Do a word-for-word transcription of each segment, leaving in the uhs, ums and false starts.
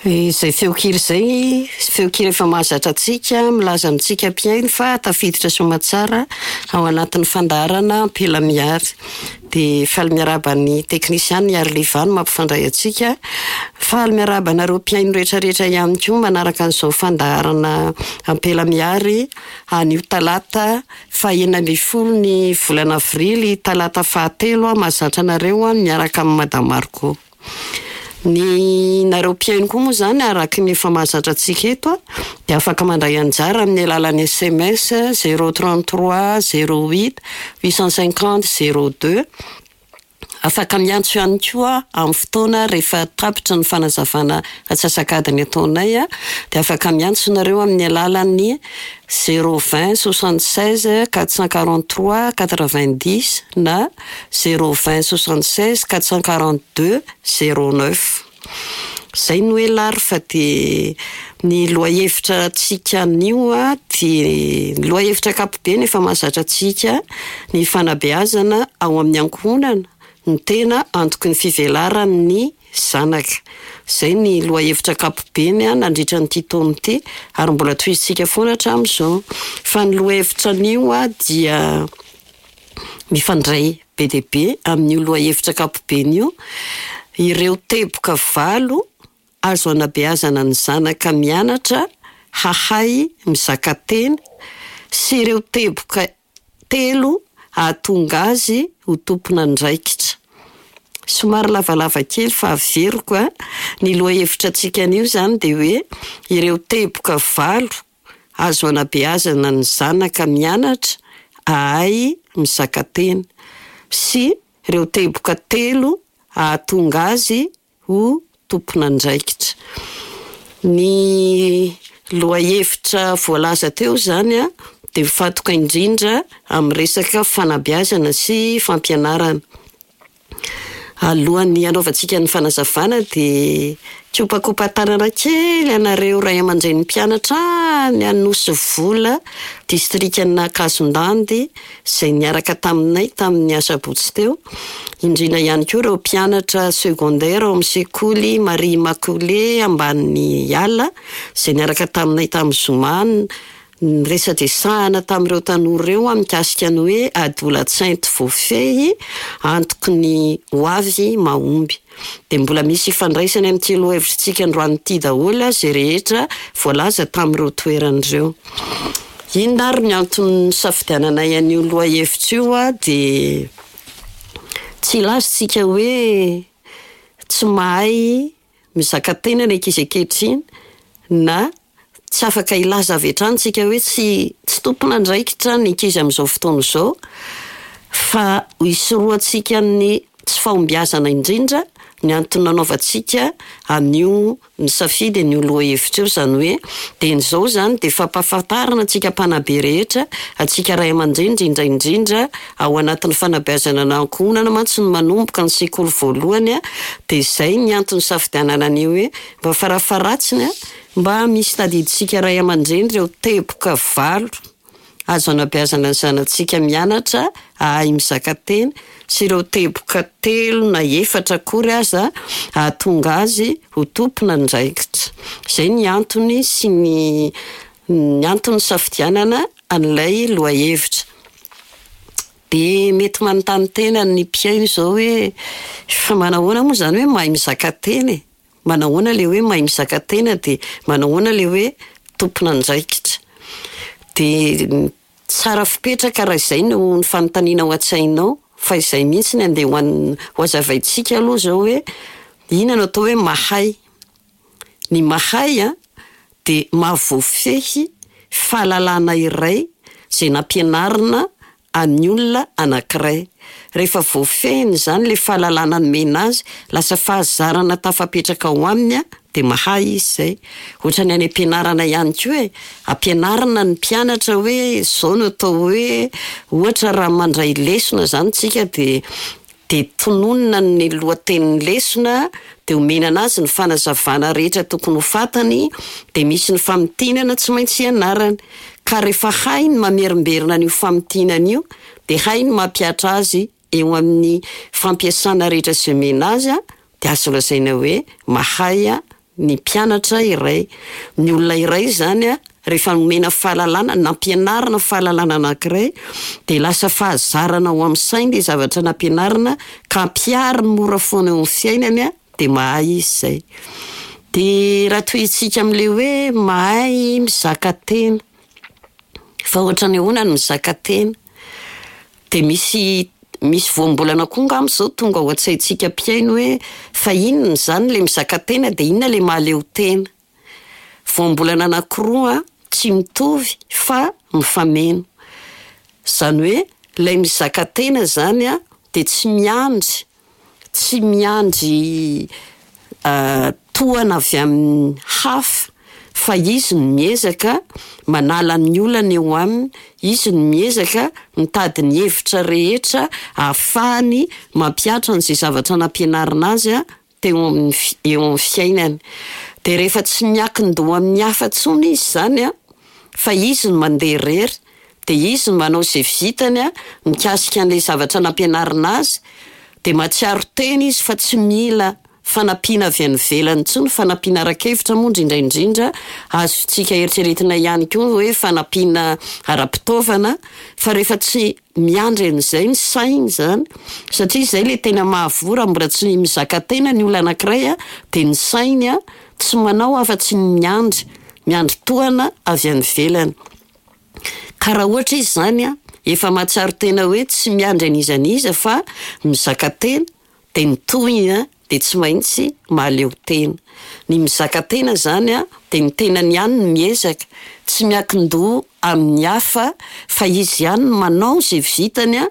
Izay feon-kira izay, feon-kira efa mahazatra antsika, milaza amintsika mpihaino fa tafiditra soamatsara ao anatin'ny fandaharana Ampela Mihary. Dia faly miarahaba ny teknisiana Iarlivano mampifandray antsika. Faly miarahaba anareo mpihaino rehetrarehetra ihany koa manaraka an'izao fandaharana Ampela Mihary anio talata fahenina ambin'ny folo ny volana avrily, talata fahatelo mahazatra anareo miaraka amin'ny Madame Margot. Ny nareo mpihaino koa moa izany araka ny efa mahazatra antsika eto dia afaka mandray anjara amin'ny alalan'ny S M S zéro trente-trois zéro huit huit cent cinquante zéro deux. Afaka miantso ihany koa amin'ny fotoana rehefa tapitra ny fanazavana antsasak'adiny ataonay dia afaka miantso nareo amin'ny alalan'ny zéro vingt soixante-seize quatre cent quarante-trois quatre-vingt-dix na zéro vingt soixante-seize quatre cent quarante-deux zéro neuf. Izay no hoe lary fa dia ny lohahevitra antsika anio a dia ny lohahevitra ankapobeny efa mahazatra antsika ny fanabeazana ao amin'ny ankohonana ny tena antoky ny fivelaran'ny zanaka. Izay ny lohahevitra ankapobeny a nandritra nyity taona ity ary mbola tohizintsika foana hatramin'izao. Fa ny lohahevitra anio a dia mifandray be dia be amin'io lohahevitra ankapobeny io. Ireo teboka valo azo anabeazana ny zanaka mianatra hahay mizaka tena sy ireo teboka telo hahatonga azy ho tompon'andraikitra. Somary lavalava kely fa averiko a, ny lohahevitra antsika anio izany dia hoe ireo teboka valo azo anabeazana ny zanaka mianatra hahay mizaka tena sy ireo teboka telo hahatonga azy ho tompon'andraikitra. Ny lohahevitra voalaza teo izany a dia mifantoka indrindra amin'ny resaka fanabeazana sy fampianarana. Alohan'ny hanaovantsika ny fanazavana dia kopakopa-tanana kely anareo ray aman-drenin'ny mpianatra any Anosivola, distrikan'Ankazondandy, izay niaraka taminay tamin'ny asabotsy teo. Indrindra ihany koa ireo mpianatra secondaire ao amin'ny sekoly Marie Immaculée ambany ala, izay niaraka taminay tamin'ny zoma niresadresahana tamin'ireo tanora ireo mikasika ny hoe adolatsainty voafehy antoky ny hoavy mahomby. Dia mbola misy ifandraisany amin'ity lohahevitsika androany ity daholo izay rehetra voalaza tamin'ireo toerana ireo. Inona ary ny antony nisafidiananay an'io lohahevitra io a dia tsy hilaza isika hoe tsy mahay mizaka tena ny ankizy ankehitriny na tsy afaka hilaza avy hatrany isika hoe tsy tsy tompon'andraikitra ny ankizy amin'izao fotoana izao, fa hisorohantsika ny tsy fahombiazana indrindra ny antony nanaovantsika an'io nisafidy an'io lohahevitra io. Izany hoe dia izao izany dia fampahafantarana antsika mpanabe rehetra, antsika ray aman-dreny indrindra indrindra ao anatin'ny fanabeazana na ankohonana mantsy no manomboka ny sekoly voalohany a, dia izay ny antony nisafidianana an'io hoe mba farafaharatsiny a mba misy tadidintsika ray aman-dreny ireo teboka valo azo anabeazana ny zanatsika mianatra hahay mizaka tena sy ireo teboka telo na efatra akory aza hahatonga azy ho tompon'andraikitra. Izay ny antony sy ny, ny antony nisafidianana an'ilay lohahevitra. Dia mety manontany tena ny mpihaino izao hoe fa manahoana moa izany hoe mahay mizaka tena e? Manahoana ilay hoe mahay mizaka tena dia manahoana ilay hoe tompon'andraikitra? Dia tsara fipetraka raha izay no ny fanontaniana ao an-tsainao, fa izay mihitsy ny andeha ho an-, ho hazavaintsika aloha izao hoe inona no atao hoe mahay. Ny mahay a dia mahavoafehy fahalalana iray izay nampianarina an'ny olona anankiray. Rehefa voafehiny izany ilay fahalalana nomena azy, lasa fahazarana tafapetraka ao aminy a dia mahay izy izay. Ohatran'ny any am-pianarana ihany koa e, ampianarina ny mpianatra hoe izao no atao hoe, ohatra raha mandray lesona izany tsika dia, dia tononina ny lohatenin'ny lesona, dia omena anazy ny fanazavana rehetra tokony ho fantany, dia misy ny famintinana tsy maintsy ianarany. Ka rehefa hainy mamerimberina an'io famintinana io, dia hainy mampihatra azy eo amin'ny fampiasana rehetra izay omena azy a, dia azo lazaina hoe mahay a ny mpianatra iray. Ny olona iray izany an, rehefa nomena fahalalana, nampianarina fahalalana anankiray, dia lasa fahazarana ao amin'ny sainy ilay zavatra nampianarina ka ampihariny mora foana eo amin'ny fiainany an, dia mahay izy izay. Dia raha tohizintsika amin'ilay hoe mahay mizaka tena. Fa ohatran'ny ahoana ny mizaka tena? Dia misy misy voambolana koa angamba izao tonga ao an-tsaintsika mpihaino hoe fa inona izany ilay mizaka tena dia inona ilay mahaleo tena? Voambolana anankiroa tsy mitovy fa mifameno. Izany hoe ilay mizaka tena izany an, dia tsy miandry, tsy miandry tohana avy amin'ny hafa fa izy no miezaka manala ny olana eo aminy, izy no miezaka mitady ny hevitra rehetra ahafahany mampihatra an'izay zavatra nampianarina azy an teo amin'ny fi- eo amin'ny fiainany. Dia rehefa tsy miankin-doha amin'ny hafa intsony izy izany an, fa izy no mandeha irery, dia izy no manao izay vitany an, mikasika an'ilay zavatra nampianarina azy, dia mahatsiaro tena izy fa tsy mila fanampiana avy any ivelany intsony, fanampiana ara-kevitra moa indrindra indrindra, azontsika eritreretina ihany koa hoe fanampiana ara-pitaovana, fa rehefa tsy miandry an'izay ny sainy izany, satria izay ilay tena mahavoa raha mbola tsy mizaka tena ny olona anankiray an, dia ny sainy an tsy manao afa-tsy ny miandry, miandry tohana avy any ivelany. Ka raha ohatra izy izany an, efa mahatsiaro tena hoe tsy miandry an'iza n'iza fa mizaka tena, dia ny tohiny an dia tsy maintsy mahaleo tena. Ny mizaka tena izany an, dia ny tenany ihany no miezaka, tsy miankin-doha amin'ny hafa fa izy ihany no manao izay vitany an,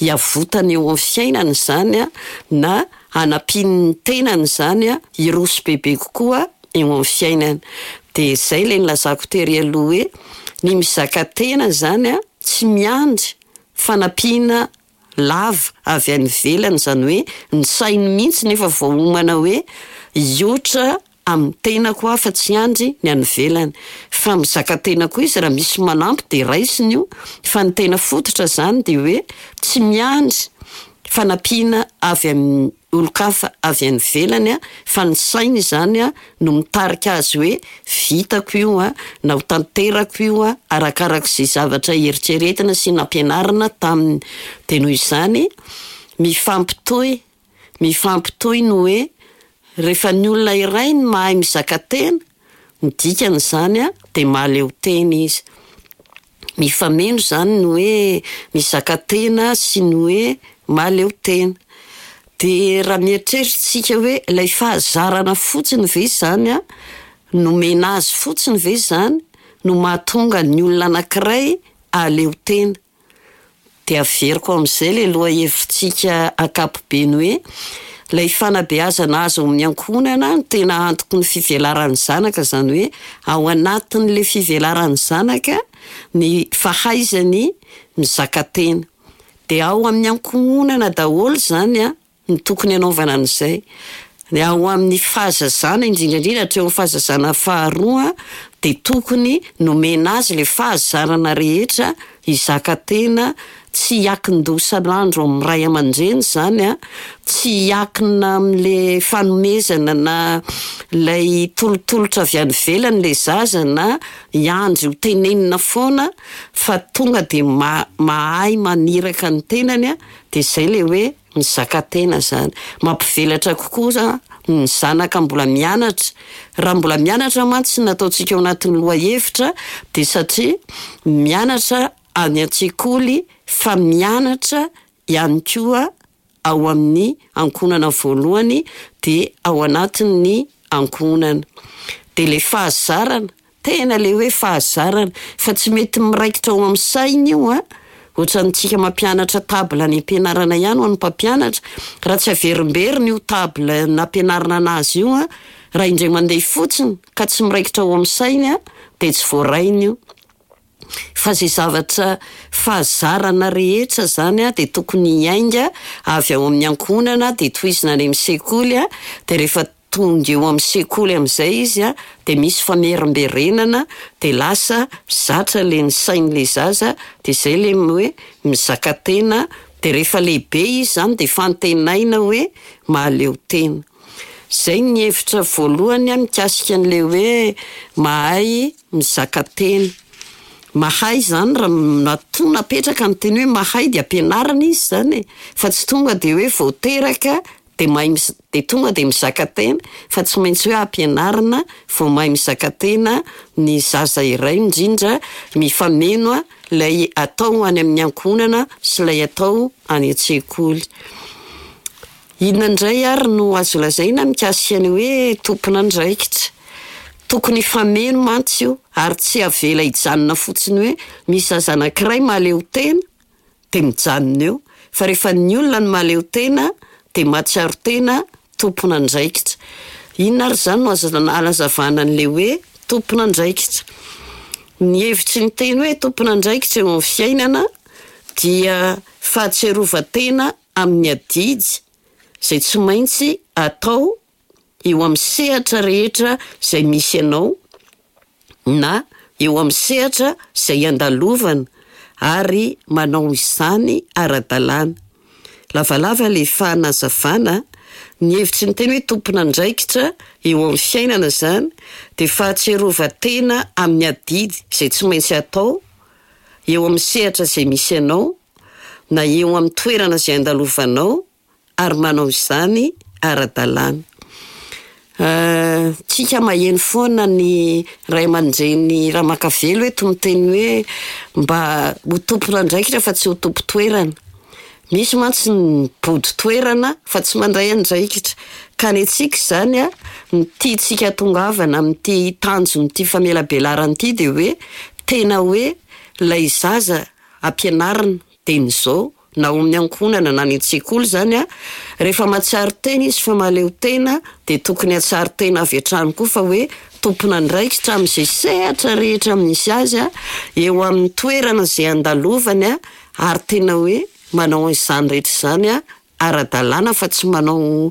hiavotana eo amin'ny fiainana izany an, na hanampiany ny tenany izany an, hiroso bebe kokoa eo amin'ny fiainana. Dia izay ilay nilazako tery aloha hoe ny mizaka tena izany an, tsy miandry fanampiana lava avy any ivelany, izany hoe ny sainy mihitsy no efa voaomana hoe hiotra amin'ny tenako aho fa tsy hiandry ny any ivelany. Fa mizaka tena koa izy raha misy manampy dia raisiny io, fa ny tena fototra izany dia hoe tsy miandry fanampiana avy amin'ny olon-kafa avy any ivelany an, fa ny sainy izany an no mitarika azy hoe vitako io an, na ho tanterako io an, arakarak'izay zavatra eritreretina sy nampianarina taminy. Dia noho izany, mifampitohy, mifampitohy ny hoe rehefa ny olona iray no mahay mizaka tena, ny dikan'izany an, dia mahaleo tena izy. Mifameno izany ny hoe mizaka tena sy ny hoe mahaleo tena. Dia raha mieritreritra isika hoe ilay fahazarana fotsiny ve izany an, nomena azy fotsiny ve izany no mahatonga ny olona anankiray hahaleo tena? Dia averiko amin'izay ilay lohahevitsika ankapobeny hoe ilay fanabeazana azo amin'ny ankohonana no tena antoky ny fivelaran'ny zanaka, izany hoe ao anatin'ilay fivelaran'ny zanaka ny fahaizany mizaka tena. Dia ao amin'ny ankohonana daholo izany an no tokony hanaovana an'izay. Ny ao amin'ny fahazazana, indrindra indrindra hatreo amin'ny fahazazana faharoa, dia tokony nomena azy ilay fahazarana rehetra hizaka tena, tsy hiankin-doha isan'andro amin'ny ray aman-dreny izany an, tsy hiankina amin'ilay fanomezana na ilay tolotolotra avy any ivelany ilay zaza na hiandry ho tenenina foana fa tonga dia ma- mahay maniraka ny tenany an, dia izay ilay hoe mizaka tena izany. Mampivelatra kokoa ny zanaka mbola mianatra. Raha mbola mianatra mantsy no nataontsika ao anatin'ny lohahevitra dia satria mianatra any an-tsekoly fa mianatra ihany koa ao amin'ny ankohonana voalohany dia ao anatin'ny ankohonana. Dia ilay fahazarana, tena ilay hoe fahazarana, fa tsy mety miraikitra ao amin'ny saina io an, ohatrantsika mampianatra table any am-pianarana ihany ho an'ny mpampianatra, raha tsy averimberina io table nampianarina anazy io an, raha indray mandeha fotsiny ka tsy miraikitra ao amin'ny sainy an, dia tsy voarainy io. Fa izay zavatra fahazarana rehetra izany an, dia tokony hiainga avy ao amin'ny ankohonana, dia tohizina any amin'ny sekoly an, dia rehefa tonga eo amin'ny sekoly amin'izay izy an, dia misy famerimberenana, dia lasa zatra ilay ny sain'ilay zaza, dia izay ilay hoe mizaka tena, dia rehefa lehibe izy izany dia fantenaina hoe mahaleo tena. Izay ny hevitra voalohany mikasika an'ilay hoe mahay mizaka tena. Mahay izany raha matoa napetraka ny teny hoe mahay dia ampianarina izy izany e, fa tsy tonga dia hoe vao teraka dia mahay miz- dia tonga dia mizaka tena, fa tsy maintsy hoe ampianarina vao mahay mizaka tena ny zaza iray, indrindra mifameno ilay atao any amin'ny ankohonana sy ilay atao any an-tsekoly. Inona indray ary no azo lazaina mikasika ny hoe tompon'andraikitra? Tokony hifameno mantsy io ary tsy avela hijanona fotsiny hoe misy zaza anankiray mahaleo tena dia mijanona eo. Fa rehefa ny olona no mahaleo tena dia mahatsiaro tena tompon'andraikitra. Inona ary izany no azo anazavana an'ilay hoe tompon'andraikitra? Ny hevitry ny teny hoe tompon'andraikitra eo amin'ny fiainana dia fahatsiarovan-tena amin'ny adidy izay tsy maintsy atao eo amin'ny sehatra rehetra izay misy anao na eo amin'ny sehatra izay andalovana ary manao izany ara-dalàna. Lavalava ilay fanazavana, ny hevitry ny teny hoe tompon'andraikitra eo amin'ny fiainana izany dia fahatsiarovan-tena amin'ny adidy izay tsy maintsy atao eo amin'ny sehatra izay misy anao na eo amin'ny toerana izay andalovanao ary manao izany ara-dalàna. Tsika maheno foana ny ray aman-dreny Ramakavelo eto miteny hoe mba ho tompon'andraikitra fa tsy ho tompon-toerana. Misy mantsy ny mibodo toerana fa tsy mandray andraikitra. Ka ny antsika izany a, ny tiantsika hatongavana amin'ity tanjon'ity famelabelarana ity dia hoe tena hoe ilay zaza ampianarina dieny izao na ao amin'ny ankohonana na any an-tsekoly izany a, rehefa mahatsiaro tena izy fa mahaleo tena dia tokony hahatsiaro tena avy hatrany koa fa hoe tompon'andraikitra amin'izay sehatra rehetra misy azy a, eo amin'ny toerana izay andalovany a, ary tena hoe manao an'izany rehetra izany a ara-dalàna fa tsy manao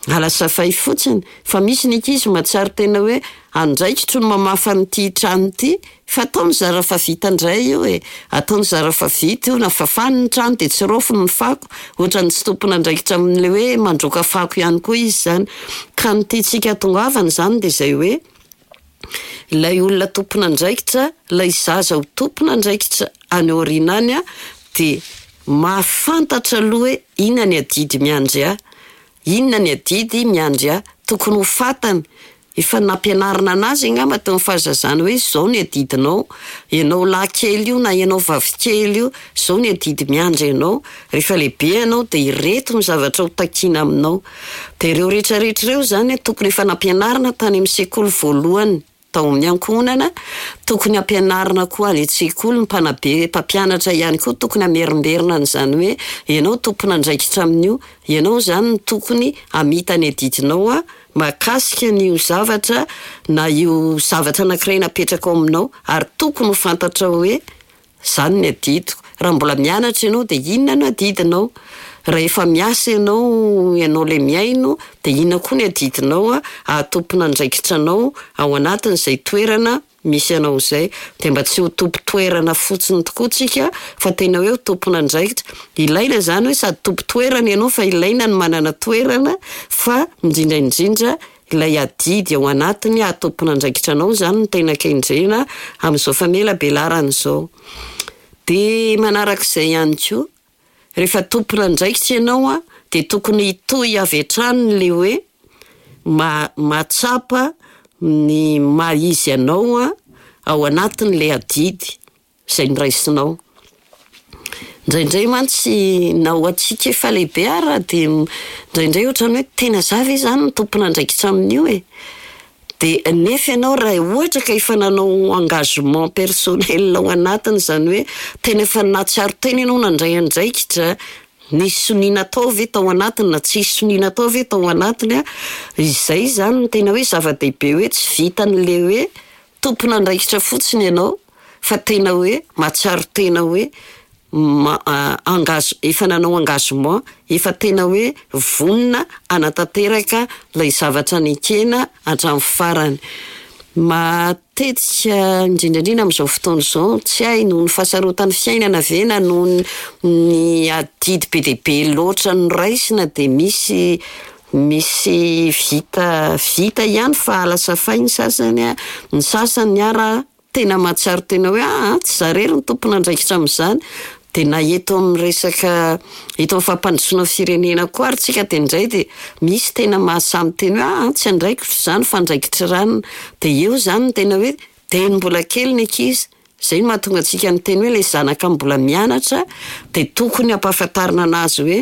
alasafay fotsiny. Fa misy ny ankizy mahatsiaro tena hoe andraikitro ny mamafa an'ity trano ity, fa ataony zara fa vita indray io e, ataony zara fa vita io, na fafany ny trano dia tsy raofiny ny fako, ohatran'ny tsy tompon'andraikitra amin'ilay hoe mandroaka fako ihany koa izy izany. Ka ny tiantsika hatongavana izany dia izay hoe ilay olona tompon'andraikitra, ilay zaza ho tompon'andraikitra any aoriana any a, dia mahafantatra aloha hoe inona ny adidy miandry ahy, inona ny adidy miandry ahy, tokony ho fantany. Efa nampianarina anazy angamba tamin'ny fahazazana hoe izao ny adidinao, ianao lahy kely io na ianao vavy kely io, izao ny adidy miandry anao, rehefa lehibe ianao dia ireto ny zavatra ho takiana aminao. Dia ireo rehetrarehetra ireo izany tokony efa nampianarina tany amin'ny sekoly voalohany tao amin'ny ankohonana, tokony hampianarina koa any an-tsekoly, ny mpanabe, mpampianatra ihany koa tokony hamerimberina an'izany hoe ianao tompon'andraikitra amin'io, ianao izany no tokony hamita ny adidinao a, mahakasika an'io zavatra na io zavatra anankiray napetraka ao aminao, ary tokony ho fantatrao hoe izany ny adidiko. Raha mbola mianatra ianao dia inona no adidinao? Raha efa miasa ianao, ianao ilay mihaino, dia inona koa ny adidinao a, hahatompon'andraikitra anao ao anatin'izay toerana misy anao izay. Dia mba tsy ho tompon-toerana fotsiny tokoa tsika fa tena hoe ho tompon'andraikitra. Ilaina izany hoe sady tompon-toerana ianao fa ilaina ny manana toerana, fa indrindra indrindra ilay adidy ao anatiny hahatompon'andraikitra anao izany no tena kendrena amin'izao famelabelarana izao. Dia manarak'izay ihany koa, rehefa tompon'andraikitra ianao a, dia tokony hitohy avy hatrany ilay hoe ma- mahatsapa ny maha izy anao a ao anatin'ilay adidy izay noraisinao. Indraindray mantsy na ho antsika efa lehibe ara dia indraindray ohatran'ny hoe tena za ve izany no tompon'andraikitra amin'io e? Dia nefa ianao raha ohatra ka efa nanao engagement personnel ao anatiny, izany hoe tena efa nahatsiaro tena ianao nandray andraikitra, nisy sonia natao ve tao anatiny na tsisy sonia natao ve tao anatiny a, izay izany no tena hoe zava-dehibe hoe tsy vitan'ilay hoe tompon'andraikitra fotsiny ianao fa tena hoe mahatsiaro tena hoe ma- engage, efa nanao engagement, efa tena hoe vonona hanatanteraka ilay zavatra nekena hatramin'ny farany. Matetika indrindra indrindra amin'izao fotoana izao, tsy hay noho ny fahasarotan'ny fiainana ve na noho ny adidy be dia be loatra noraisina dia misy Misy vita vita ihany fa alasafay ny sasany a, ny sasany ara tena mahatsiaro tena hoe aa tsy za irery no tompon'andraikitra amin'izany. De na eto amin'ny resaka eto amin'ny fampandrosoana firenena koa ary tsika de indray de misy tena mahasahy miteny hoe aa tsy andraikitro izany fa andraikitry ranona. De eo izany no tena hoe dieny mbola kely ny ankizy, zay no mahatonga antsika miteny hoe le zanaka mbola mianatra de tokony ampahafantarina anazy hoe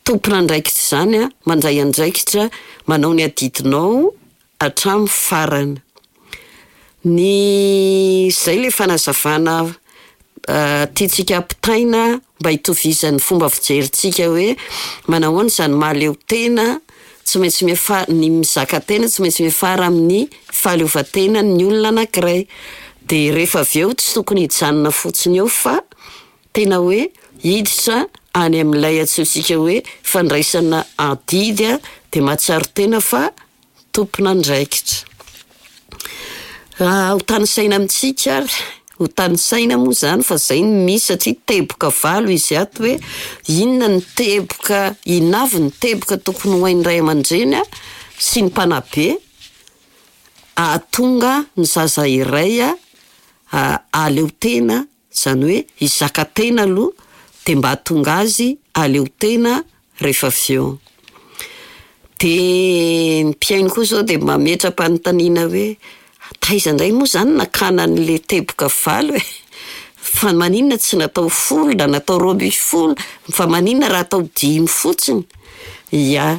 tompon'andraikitra izany an, mandray andraikitra, manao ny adidinao hatramin'ny farany. Ny zay le fanazavana tiantsika ampitaina mba hitovizan'ny fomba fijerintsika hoe manahoana izany mahaleo tena, tsy maintsy miafa- ny mizaka tena tsy maintsy miafara amin'ny fahaleovantenan'ny olona anankiray. De rehefa avy eo tsy tokony hijanona fotsiny eo fa tena hoe hiditra any amin'ilay antsointsika hoe fandraisana adidy a, de mahatsiaro tena fa tompon'andraikitra. Ho tanisaina amintsika ary, ho tanisaina moa izany fa zay no misy satria teboka valo izy ato hoe inona ny teboka, inona avy ny teboka tokony ho hain'ny ray aman-dreny a sy ny mpanabe hahatonga ny zaza iray a hahaleo tena, izany hoe hizaka tena aloha de mba hahatonga azy hahaleo tena rehefa avy eo. De ny mpihaino koa zao de mametra-panontaniana hoe taiza indray moa izany nakana an'le teboka valo e? Fa maninona tsy natao folo na natao roa amby folo? Fa maninona raha atao dimy fotsiny? Ia,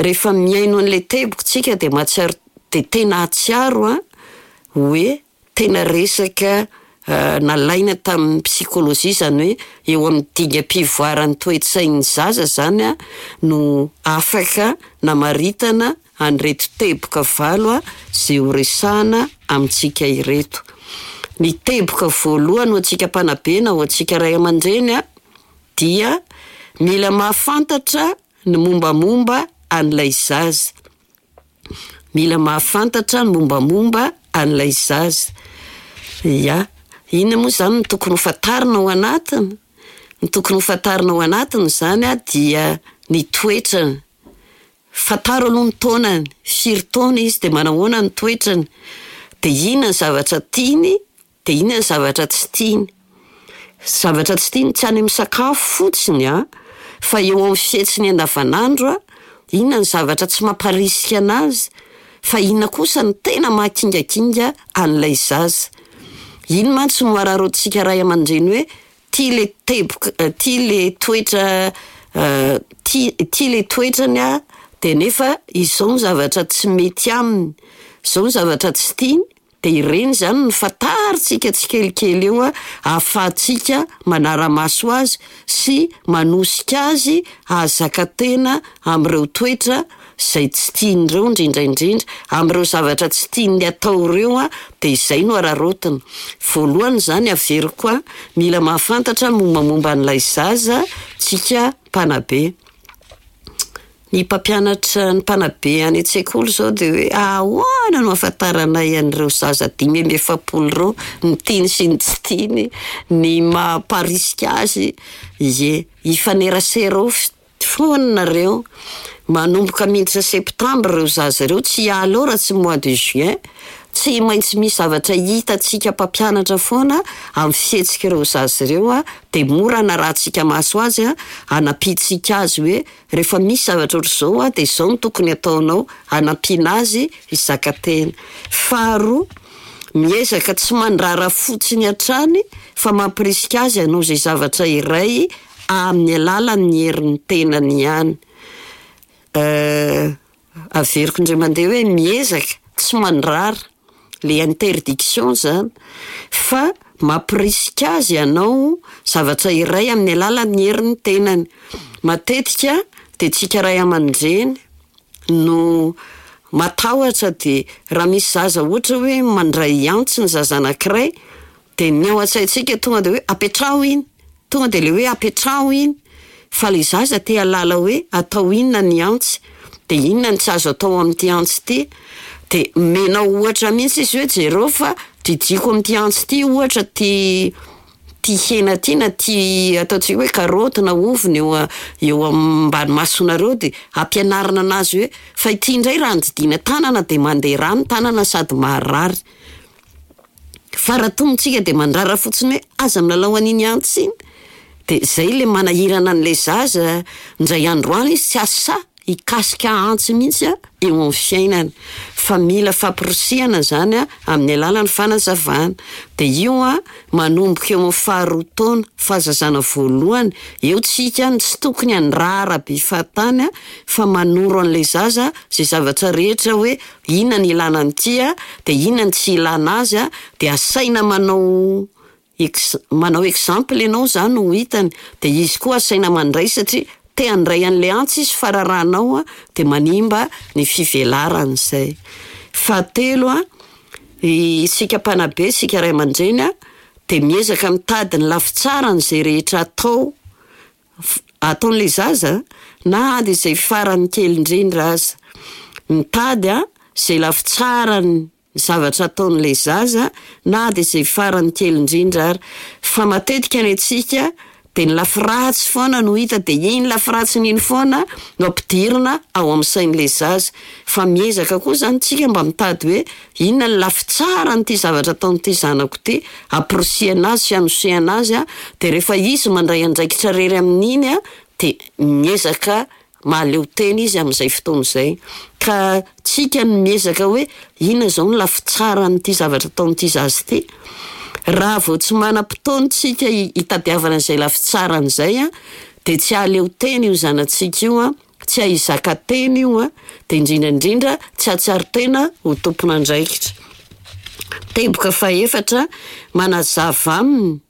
rehefa mihaino an'le teboka tsika de mahatsiaro de tena hahatsiaro an hoe tena resaka nalaina tamin'ny psikolojia, izany hoe eo amin'ny dingam-pivoaran'ny toe-tsain'ny zaza zany an no afaka namaritana an'ireto teboka valo a zay ho resahana amintsika ireto. Ny teboka voalohany ho antsika mpanabe na ho antsika ray aman-dreny a, dia mila mahafantatra ny mombamomba an'ilay zaza. Mila mahafantatra ny mombamomba an'ilay zaza. Ia, inona moa zany no tokony ho fantarina ao anatiny? Ny tokony ho fantarina ao anatiny zany an dia ny toetrany. Fantaro aloha ny taonany, firy taona izy de manahoana ny toetrany, de inona ny zavatra tiany, de inona ny zavatra tsy tiany. Zavatra tsy tiany tsy any amin'ny sakafo fotsiny an, fa eo amin'ny fihetsiny andavanandro an, inona ny zavatra tsy mamparisika anazy, fa inona kosa no tena mahakingakinga an'ilay zaza. Iny mantsy no araraotintsika ray aman-dreny hoe ty le teboka, ty le toetra ty ty le toetrany an, de nefa izao ny zavatra tsy mety aminy, zao ny zavatra tsy tiany, de ireny zany no fantarintsika tsikelikely eo an, ahafahantsika manara-maso azy sy manosika azy hahazaka tena amin'ireo toetra zay tsy tiany ireo indrindra indrindra, amin'ireo zavatra tsy tiany atao ireo an, de izay no araraotina. Voalohany zany averiko an, mila mahafantatra ny mombamomba an'ilay zaza tsika mpanabe. Ny mpampianatra, ny mpanabe any an-tsekoly zao de hoe ahoana no ahafantaranay an'ireo zaza dimy amby efapolo ireo, ny tiany sy ny tsy tiany, ny mamparisika azy? Ie, hifanerasera ao f- foana nareo. Manomboka miditra septambra ireo zaza ireo, tsy hiala ao raha tsy mois de juin. Tsy maintsy misy zavatra hitantsika mpampianatra foana amin'ny fihetsik'ireo zaza ireo an, de mora anarahantsika maso azy an, anampiantsika azy hoe rehefa misy zavatra ohatr'izao an, de zao no tokony ataonao, anampiana azy hizaka tena. Faharoa, miezaka tsy mandrara fotsiny hatrany fa mampirisika azy hanao izay zavatra iray amin'ny alalan'ny herin'ny tenany ihany. Averiko indray mandeha hoe miezaka tsy mandrara, le interdiction zany, fa mampirisika azy hanao zavatra iray amin'ny alalan'ny herin'ny tenany. Matetika de tsika ray aman-dreny no matahotra de raha misy zaza ohatra hoe mandray antsy ny zaza anankiray, de ny ao an-tsaintsika tonga de hoe apetraho iny, tonga de le hoe apetraho iny, fa le zaza te hahalala hoe atao inona ny antsy, de inona ny tsy azo atao amin'ity antsy ity, de omenao ohatra mihitsy izy hoe jereo fa didiako amin'ity antsy ity ohatra ty Ty hena ty na ty ataontsika hoe karaoty na ovy ny eo eo ambany masonareo, de ampianarina anazy hoe fa ity indray raha andidiana tanana de mandeha rà ny tanana sady maharary. Fa raha tonga tsika de mandrara fotsiny hoe aza milalao an'iny antsy iny, de zay le manahirana an'le zaza, ndray andro any izy tsy hahasahy hikasika antsy mihitsy a eo amin'ny fiainany. Fa mila famporisihana zany a amin'ny alalan'ny fanazavana. De io a manomboka eo amin'ny faharoa taona, fahazazana voalohany, eo tsika no tsy tokony handrara be fahatany a fa manoro an'le zaza zay zavatra rehetra hoe inona ny ilana an'ity a, de inona ny tsy ilana azy a, de asaina manao ex- manao exemple ianao zany ho hitany, de izy koa asaina mandray satria te handray an'le antsy izy fa raranao a de manimba ny fivelarany zay. Fahatelo a, isika mpanabe, isika ray aman-dreny a, de miezaka mitady ny lafitsaran'izay rehetra atao f- ataon'le zaza na de zay farany kely indrindra aza. Mitady a zay lafitsaran'ny zavatra ataon'le zaza na de zay farany kely indrindra ara. Fa matetika ny antsika de ny lafy ratsy foana no hita de iny lafy ratsiny iny foana no ampidirina ao amin'ny sain'le zaza. Fa miezaka koa zany tsika mba mitady hoe inona ny lafy tsaran'ity zavatra ataon'ity zanako ty, amporisihana azy sy anosehana azy a, de rehefa izy mandray andraikitra rery amin'iny a de miezaka mahaleo tena izy amin'izay fotoana izay. Ka tsika no miezaka hoe inona zao ny lafy tsaran'ity zavatra ataon'ity zaza ity? Raha vao tsy manam-potoana tsika hi- hitadiavana an'izay lafy tsarany zay a, de tsy hahaleo tena io zanatsika io a, tsy hahay hizaka tena io a, de indrindra indrindra tsy hahatsiaro tena ho tompon'andraikitra. Teboka fahaefatra, manazava aminy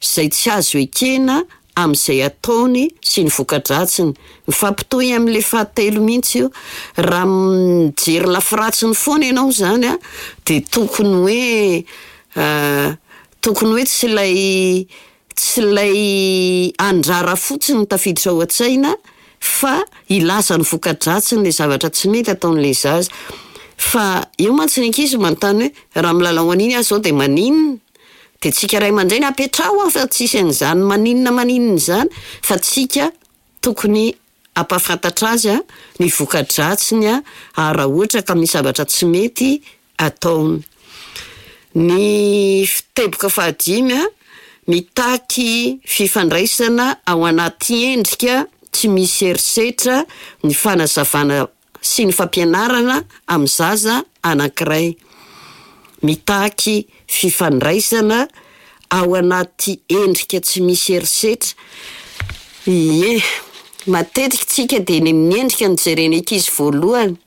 zay tsy azo ekena amin'izay ataony sy ny voka-dratsiny. Mifampitohy amin'le fahatelo mihitsy io. Raha mijery lafy ratsiny foana ianao zany a, de tokony hoe tokony hoe tsy lay tsy lay handrara fotsiny no tafiditra ao an-tsaina fa hilaza ny voka-dratsiny le zavatra tsy mety ataon'le zaza. Fa eo mantsy ny ankizy manontany hoe raha milalao an'iny aho zao de maninona? De tsika ray aman-dreny apetraho ao fa tsisy an'zany maninona maninona zany, fa tsika tokony hampahafantatra azy a ny voka-dratsiny a ary raha ohatra ka misy zavatra tsy mety ataony. Ny f- teboka fahadimy a, mitaky fifandraisana ao anaty endrika tsy misy herisetra ny fanazavana sy ny fampianarana amin'ny zaza anankiray. Mitaky fifandraisana ao anaty endrika tsy misy herisetra. Ie, matetika tsika de ny amin'ny endrika no jeren'ny ankizy voalohany.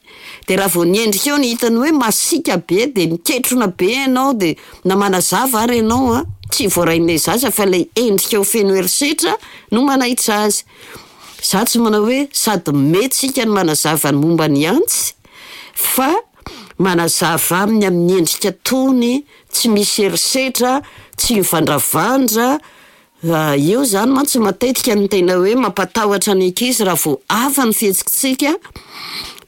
De raha vao ny endrika eo no hitany hoe masiaka be de miketrona be ianao de na manazava ary ianao a, tsy voarain'le zaza fa lay endrikao feno herisetra no manaitra azy. Za tsy manao hoe sady mety tsika no manazava ny momba ny antsy fa manazava aminy amin'ny endrika tony, tsy misy herisetra, tsy mivandravandra, eo zany mantsy matetika no tena hoe mampatahotra ny ankizy raha vao hafa ny fihetsikitsika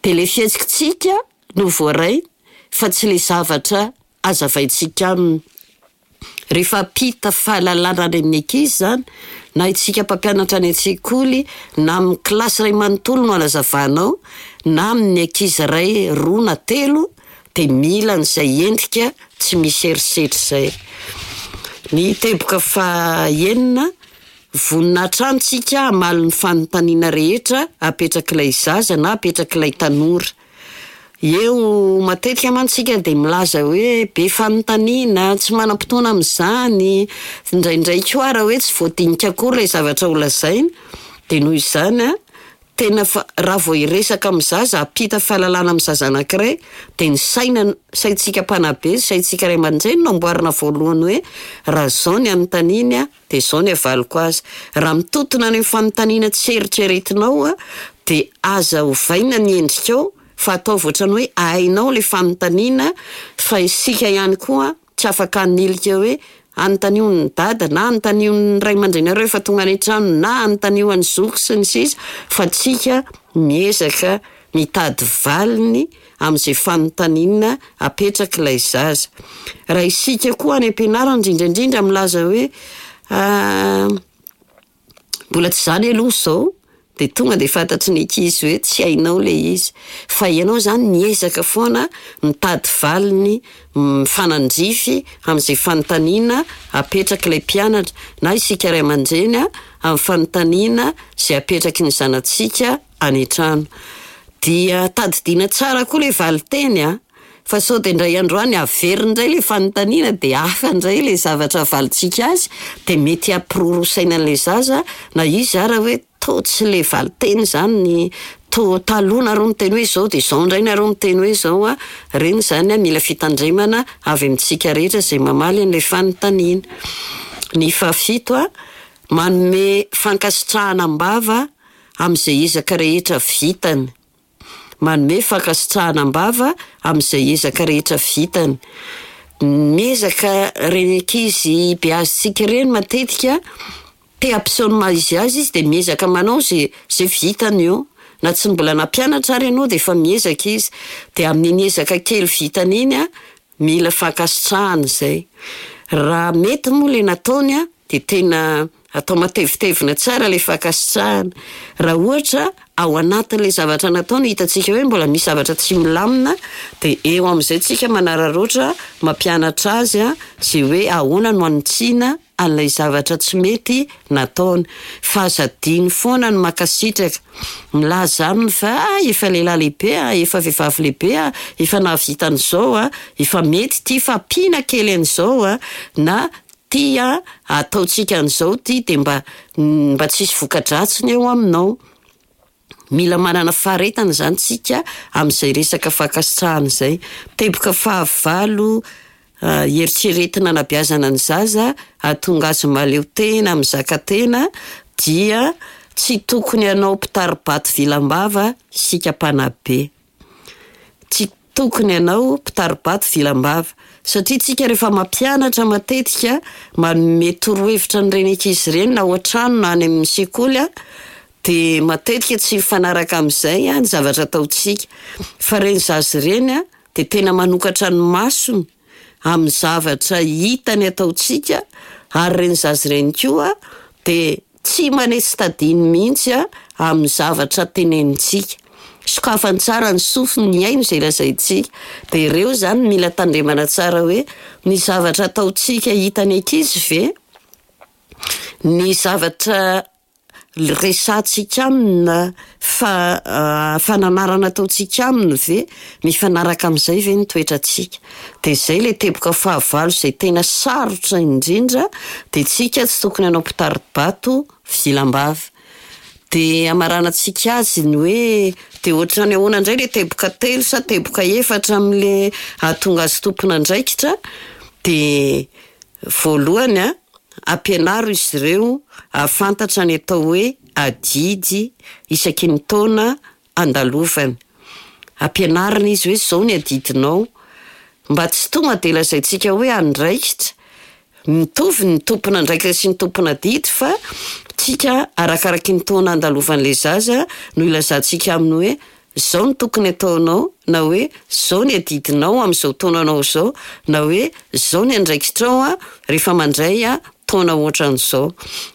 de le fihetsikitsika no voaray fa tsy le zavatra hazavaintsika aminy. Rehefa hampita fahalalana any amin'ny ankizy zany, na itsika mpampianatra any an-tsekoly, na amin'ny kilasy iray manontolo no anazavanao, na amin'ny ankizy iray, roa na telo, de mila an'izay endrika tsy misy herisetra zay. Ny teboka fahaenina, vonona hatrany tsika hamaly ny fanontaniana rehetra apetrak'ilay zaza na apetrak'ilay tanora. Eo matetika mantsy tsika de milaza hoe be fanontaniana, tsy manam-potoana amin'izany, indraindray koa ara hoe tsy voadinika akory ilay zavatra ho lazaina, de noho izany an, tena fa- raha vao hiresaka amin'ny zaza, hampita fahalalana amin'ny zaza anankiray de ny saina, saintsika mpanabe, saintsika ray aman-dreny no amboarina voalohany hoe raha zao ny anontaniany an, de zao ny avaliko azy. Raha mitontona any amin'ny fanontaniana tsy eritreretinao an, de aza ovaina ny endrikao fa ataovy ohatran'ny hoe hainao le fanontaniana fa isika ihany koa tsy afaka hanilika hoe anontanio ny dada na anontanio ny ray aman-dreninareo rehefa tonga any an-trano na anontanio an'i zoky sy ny sisa fa tsika miezaka mitady valiny amin'izay fanontaniana apetrak'ilay zaza. Raha isika koa any am-pianarana indrindra indrindra milaza hoe Mbola tsy izany aloha izao, de tonga de fantatry ny ankizy hoe tsy hainao le izy. Fa ianao zany miezaka foana mitady valiny mifanandrify amin'izay fanontaniana apetrak'ilay mpianatra, na isika ray aman-dreny a, amin'ny fanontaniana izay apetraky ny zanatsika any an-trano. Dia tadidiana tsara koa le valinteny an, fa sao de indray andro any averiny indray le fanontaniana de hafa indray le zavatra avalintsika azy, de mety hampiroroa saina an'ilay zaza na izy ara hoe tô tsy le valinteny zany tô taloha nareo niteny hoe zao de zao indray nareo miteny hoe zao an, reny zany an mila fitandremana avy amintsika rehetra izay mamaly an'ilay fanontaniana. Ny fahafito an, manome fankasitrahana am-bava amin'izay ezaka rehetra vitany. Manome fankasitrahana am-bava amin'izay ezaka rehetra vitany. Miezaka reny ankizy beazintsika ireny matetika, te hampiseho ny maha izy azy izy de miezaka manao ze ze vitany eo. Na tsy mbola nampianatra ary ianao de efa miezaka izy. De amin'iny ezaka kely vitany iny an, mila fankasitrahana izay. Raha mety moa le nataony an, de tena atao matevitevina tsara le fankasitrahana. Raha ohatra ao anatin'ilay zavatra nataony hitantsika hoe mbola misy zavatra tsy milamina, de eo amin'izay tsika manararaotra mampianatra azy an, ze hoe ahoana no hanitsiana an'ilay zavatra tsy mety nataony. Fa aza adino foana ny mankasitraka. Milaza aminy fa ah efa lehilahy lehibe ah, efa vehivavy lehibe ah, efa nahavita an'izao ah, efa mety ty fa ampiana kely an'izao ah, na ty an, ataontsika an'izao ty de mba mba tsisy voka-dratsiny eo aminao. Mila manana faharetana zany tsika amin'izay resaka fankasitrahana izay. Teboka fahavalo eritreretina anabeazana ny zaza hahatonga azy mahaleo tena, mizaka tena dia tsy tokony hanao mpitari-bato vilam-bava isika mpanabe. Tsy tokony hanao mpitari-bato vilam-bava. Satria tsika rehefa mampianatra matetika, manome torohevitra an'ireny ankizy ireny na ao an-trano na any amin'ny sekoly an, de matetika tsy mifanaraka amin'izay an ny zavatra ataontsika. Fa ireny zaza ireny an, de tena manokatra ny masony amin'ny zavatra hitany ataontsika, ary ireny zaza ireny koa de tsy manetsi-tadiny mihitsy an amin'ny zavatra tenenintsika. Sokafany tsara ny sofiny mihaino izay lazaintsika. De ireo zany mila tandremana tsara hoe ny zavatra ataontsika hitan'ny ankizy ve? Ny zavatra resahantsika aminy na fa- fananarana ataontsika aminy ve? Mifanaraka amin'izay ve ny toetrantsika? De zay le teboka fahavalo izay tena sarotra indrindra, de tsika tsy tokony hanao mpitari-bato vilam-bava. De hamaranantsika azy ny hoe de ohatran'ny ahoana indray le teboka telo sa teboka efatra amin'le hahatonga azy tompon'andraikitra? De voalohany an, ampianaro izy ireo hahafantatra ny atao hoe adidy isaky ny taona andalovany. Ampianarina izy hoe zao ny adidinao, mba tsy tonga de lazaintsika hoe andraikitra. Mitovy ny tompon'andraikitra sy ny tompon'adidy fa tsika arakaraky ny taona andalovan'ilay zaza no ilazantsika aminy hoe zao no tokony ataonao, na hoe zao ny adidinao amin'izao taonanao izao, na hoe zao ny andraikitrao an rehefa mandray an taona ohatran'izao.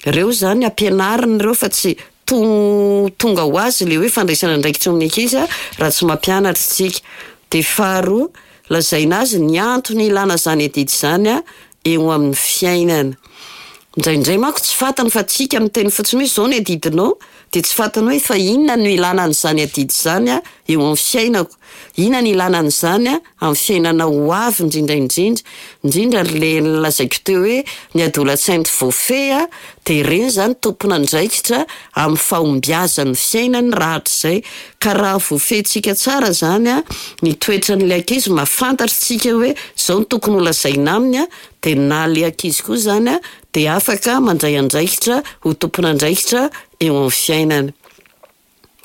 Ireo zany ampianarina ireo fa tsy to- tonga ho azy le hoe fandraisana andraikitra amin'ny ankizy an raha tsy mampianatra isika. De faharoa, lazaina azy ny antony ilana izany adidy izany an eo amin'ny fiainana. Indraindray manko tsy fantany fa tsika miteny fotsiny hoe zao ny adidinao, de tsy fantany hoe fa inona no ilana an'izany adidy izany an eo amin'ny fiainako? Inona no ilana an'izany an amin'ny fiainana ho avy indrindra indrindra? Indrindra le nolazaiko teo hoe ny adolantsento voafehy an, de ireny zany tompon'andraikitra amin'ny fahombiazan'ny fiainany rahatrizay. Ka raha voafehintsika tsara zany an, ny toetran'ilay ankizy, mahafantatra tsika hoe zao no tokony ho lazaina aminy an, de na le ankizy koa zany an de afaka mandray andraikitra ho tompon'andraikitra eo amin'ny fiainana.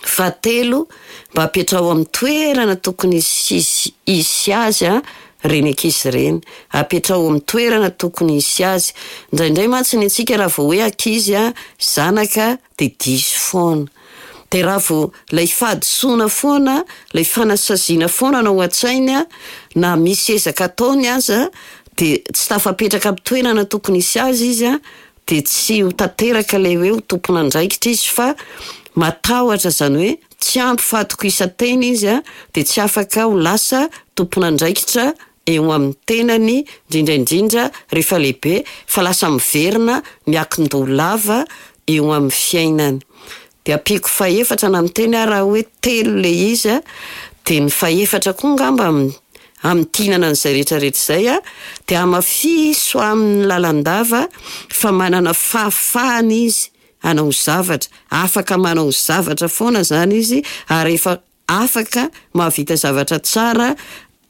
Fahatelo, mba apetraho amin'ny toerana tokony hisy hisy azy an ireny ankizy ireny. Apetraho amin'ny toerana tokony hisy azy. Indraindray mantsy ny antsika raha vao hoe ankizy an, zanaka, de diso foana. De raha vao ilay fahadisoana foana, ilay fanasaziana foana no ao an-tsainy an, na misy ezaka ataony aza, de tsy tafapetraka amin'ny toerana tokony hisy azy izy an, dia tsy ho tanteraka ilay hoe ho tompon'andraikitra izy fa matahotra, izany hoe tsy ampy fahatokisan-tena izy a, dia tsy afaka ho lasa tompon'andraikitra eo amin'ny tenany, indrindra indrindra rehefa lehibe, fa lasa miverina miankin-doha lava eo amin'ny fiainany. Dia ampiako fahefatra, na miteny aho raha hoe telo ilay izy a, dia ny fahefatra koa angamba hamintinana an'izay rehetra rehetra izay a, dia hamafiso aminy lalandava fa manana fahafahana izy hanao zavatra, afaka manao zavatra foana izany izy, ary efa afaka mahavita zavatra tsara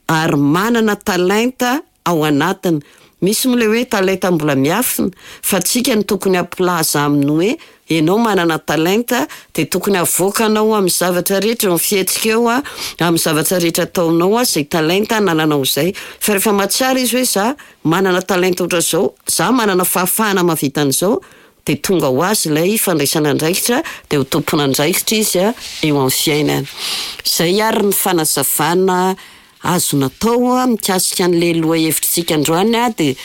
ary manana talenta ao anatiny. Misy moa ilay hoe talenta mbola miafina, fa tsika no tokony hampilaza aminy hoe ianao manana talenta, dia tokony avoakanao amin'ny zavatra rehetra eo amin'ny fihetsika eo a, amin'ny zavatra rehetra ataonao a, izay talenta anananao izay. Fa rehefa mahatsiaro izy hoe za manana talenta ohatran'izao, za manana fahafahana mahavita an'izao, dia tonga ho azy ilay fandraisana andraikitra, dia ho tompon'andraikitra izy a eo amin'ny fiainana. Izay ary ny fanazavana azo natao a mikasika an'ilay lohahevitritsika androany a, dia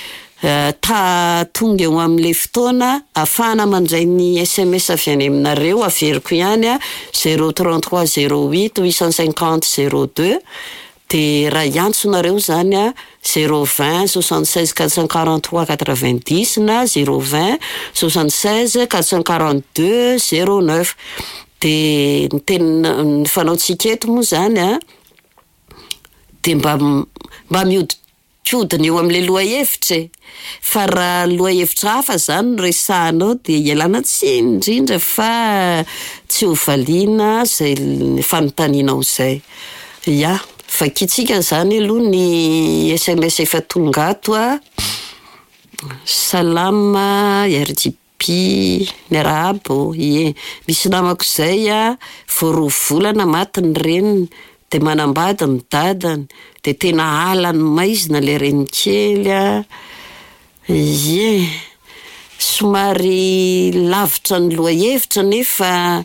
ta tonga eo amin'ilay fotoana ahafahana mandray ny S M S avy any aminareo. Averiko ihany a, zéro trente-trois zéro huit huit cent cinquante zéro deux. Dia raha hiantso nareo zany a, zéro vingt soixante seize quatre cent quarante trois quatre vingt dix na zéro vingt soixante seize quatre cent quarante deux zéro neuf. Dia ny tena ny fanaontsika eto moa zany a, dia mba mba miodikodina eo amin'ilay lohahevitra e, fa raha lohahevitra hafa zany no resahanao, dia ialana tsiny indrindra fa tsy ho valiana zay fanontanianao izay. Ya, vakitsika zany aloha ny S M S efa tonga ato a. Salama R J P, miarahabo. Ie, misy namako izay a, vao roa volana maty ny reniny, dia manambady ny dadany, dia tena alany maizina ilay renikely a. Ie, somary lavitra ny lohahevitra nefa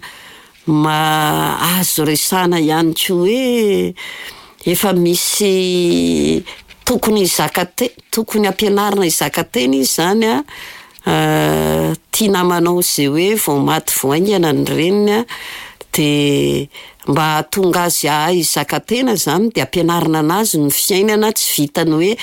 ma azo resahana ihany koa hoe efa misy tokony hizaka te- tokony ampianarina hizaka tena izy zany a. Tia namanao izay hoe vao maty vao haingana ny reniny a, dia mba hahatonga azy hahay hizaka tena zany, dia ampianarina anazy ny fiainana tsy vitany hoe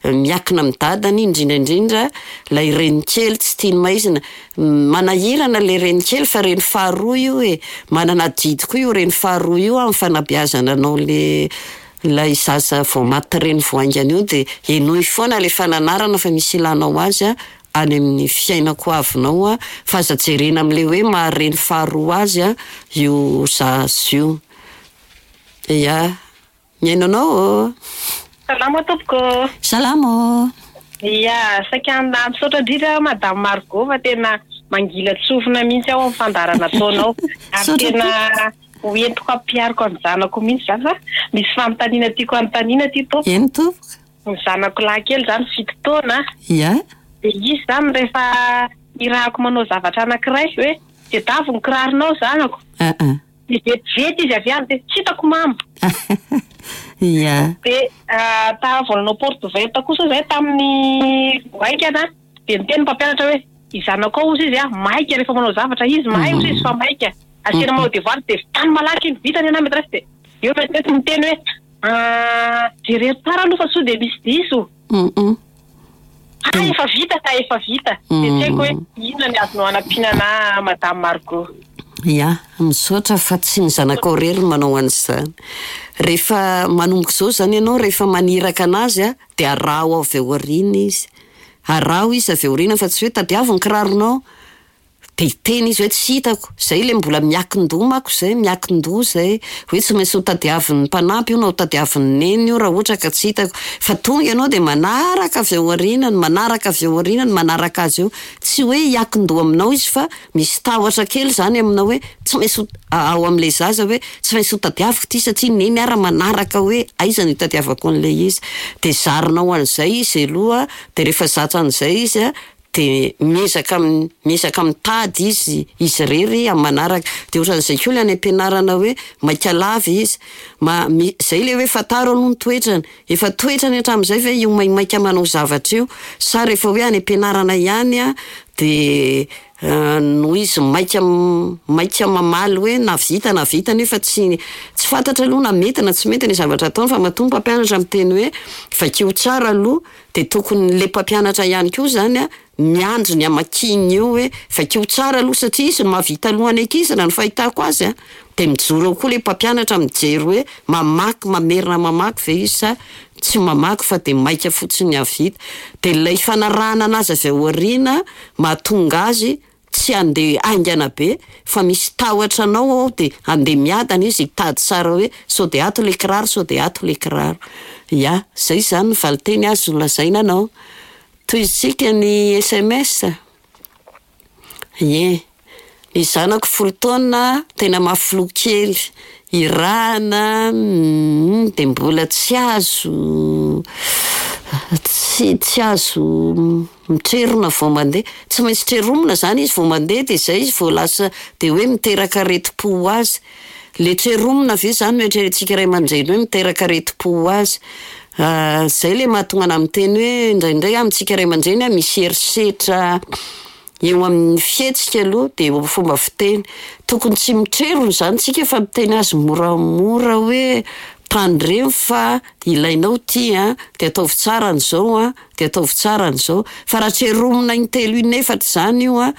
miankina amin'ny dadany, indrindra indrindra ilay renikely tsy tiany maizina. Manahirana ilay renikely fa reny faharoa io e, manana adidy koa io reny faharoa io amin'ny fanabeazana anao le ilay zaza vao maty reny vao haingana io. Dia henoy foana ilay fananarana fa misy ilanao azy a any amin'ny fiainako avinao a, fa aza jerena amin'ilay hoe mahareny faharoa azy a io zaza io. Ia, mihaino anao ô. Salama tompoko. Salama. Ia, saika misaotra indrindra Madame Margot fa tena mangila tsofina mihitsy ao amin'ny fandaharana ataonao. Ary tena hoentiko ampiariko ny zanako mihitsy zany, fa misy fanontaniana tiako anontaniana ty tompoko. Eny tompoko. Ny zanako lahy kely zany fito taona. Ia. Dia izy zany rehefa irahako manao zavatra anankiray hoe tadiavo ny kiraronao zanako. Aa. Dia vetivety izy avy any dia tsy hitako mama. Ia. Dia ta vao nanao porte ouverte kosa zay tamin'ny vao haingana, dia niteny ny mpampianatra hoe izanako ao ozy izy a maika rehefa manao zavatra izy, mahay ozy izy fa maika. Asiana manao devoir dia vitany malaky iny, vitany ana maîtresse, dia eo maîtresse miteny hoe jereo tsara aloha fa sao dia misy diso. Mm. Ah, efa vita ka, efa vita. Dia tsy haiko hoe inona ny azonao anampiana, Madame Margot. Ia, misaotra, fa tsy ny zanakao irery no manao an'izany. Rehefa manomboka izao zany ianao, rehefa maniraka anazy a, dia araho avy ao aoriana izy. Araho izy avy ao aoriana, fa tsy hoe tadiavo ny kiraronao, dia hiteny izy hoe tsy hitako. Zay ilay mbola miankin-doha manko zay, miankin-doha zay. Hoe tsy maintsy ho tadiavin'ny mpanampy io na ho tadiavin'ny neny io raha ohatra ka tsy hitako. Fa tonga ianao dia manaraka avy ao aorianany, manaraka avy ao aorianany, manaraka azy eo. Tsy hoe hiankin-doha aminao izy, fa misy tahotra kely zany aminao hoe tsy maintsy ho ao amin'ilay zaza hoe tsy maintsy ho tadiaviko ity satria neny ara manaraka hoe aiza no hitadiavako an'ilay izy. Dia zarinao an'izay izy aloha, dia rehefa zatra an'izay izy a, dia miezaka miezaka mitady izy izy irery amin'ny manaraka. Dia ohatran'izay koa ilay any am-pianarana hoe maika lava izy. Ma- mi- zay ilay hoe fantaro aloha ny toetrany. Efa toetrany hatramin'izay ve io maimaika manao zavatra io, sa rehefa hoe any am-pianarana ihany a De noho izy maika maika mamaly hoe nahavita nahavita nefa tsy tsy fantatra aloha na mety na tsy mety ny zavatra ataony, fa matoa ny mpampianatra miteny hoe vakio tsara aloha, de tokony le mpampianatra ihany koa zany a miandry ny hamakiany eo hoe vakio tsara aloha, satria izy no mahavita alohan'ny ankizy raha ny fahitako azy a. De mijoro eo koa le mpampianatra mijery hoe mamaky, mamerina mamaky ve izy sa tsy mamaky fa de maika fotsiny hahavita. De lay fanarahana anazy avy ao aoriana mahatonga azy tsy handeha haingana be fa misy tahotra anao ao, de handeha miadana izy hitady tsara hoe sao de ato le kiraro, sao de ato le kiraro. Ya, zay zany ny valinteny azo lazaina anao. Tohizintsika ny S M S. Ie, ny zanako folo taona tena mafy loha kely, irahana, mm, de mbola tsy azo, tsy, tsy azo mitrerona vao mandeha. Tsy maintsy treromina zany izy vao mandeha, de zay izy vao lasa, de hoe miteraka aretim-po ho azy. Le treromina ve zany no eritreretintsika ray aman-dreny hoe miteraka aretim-po ho azy? Zay le mahatonga ana miteny hoe indraindray amintsika ray aman-dreny a misy herisetra eo amin'ny fihetsika aloha, de eo amin'ny fomba fiteny. Tokony tsy mitrerona zany tsika fa miteny azy moramora hoe tandremo fa ilainao ty a, de ataovy tsara an'izao a, de ataovy tsara an'izao. Fa raha treromina intelo inefatra zany io a,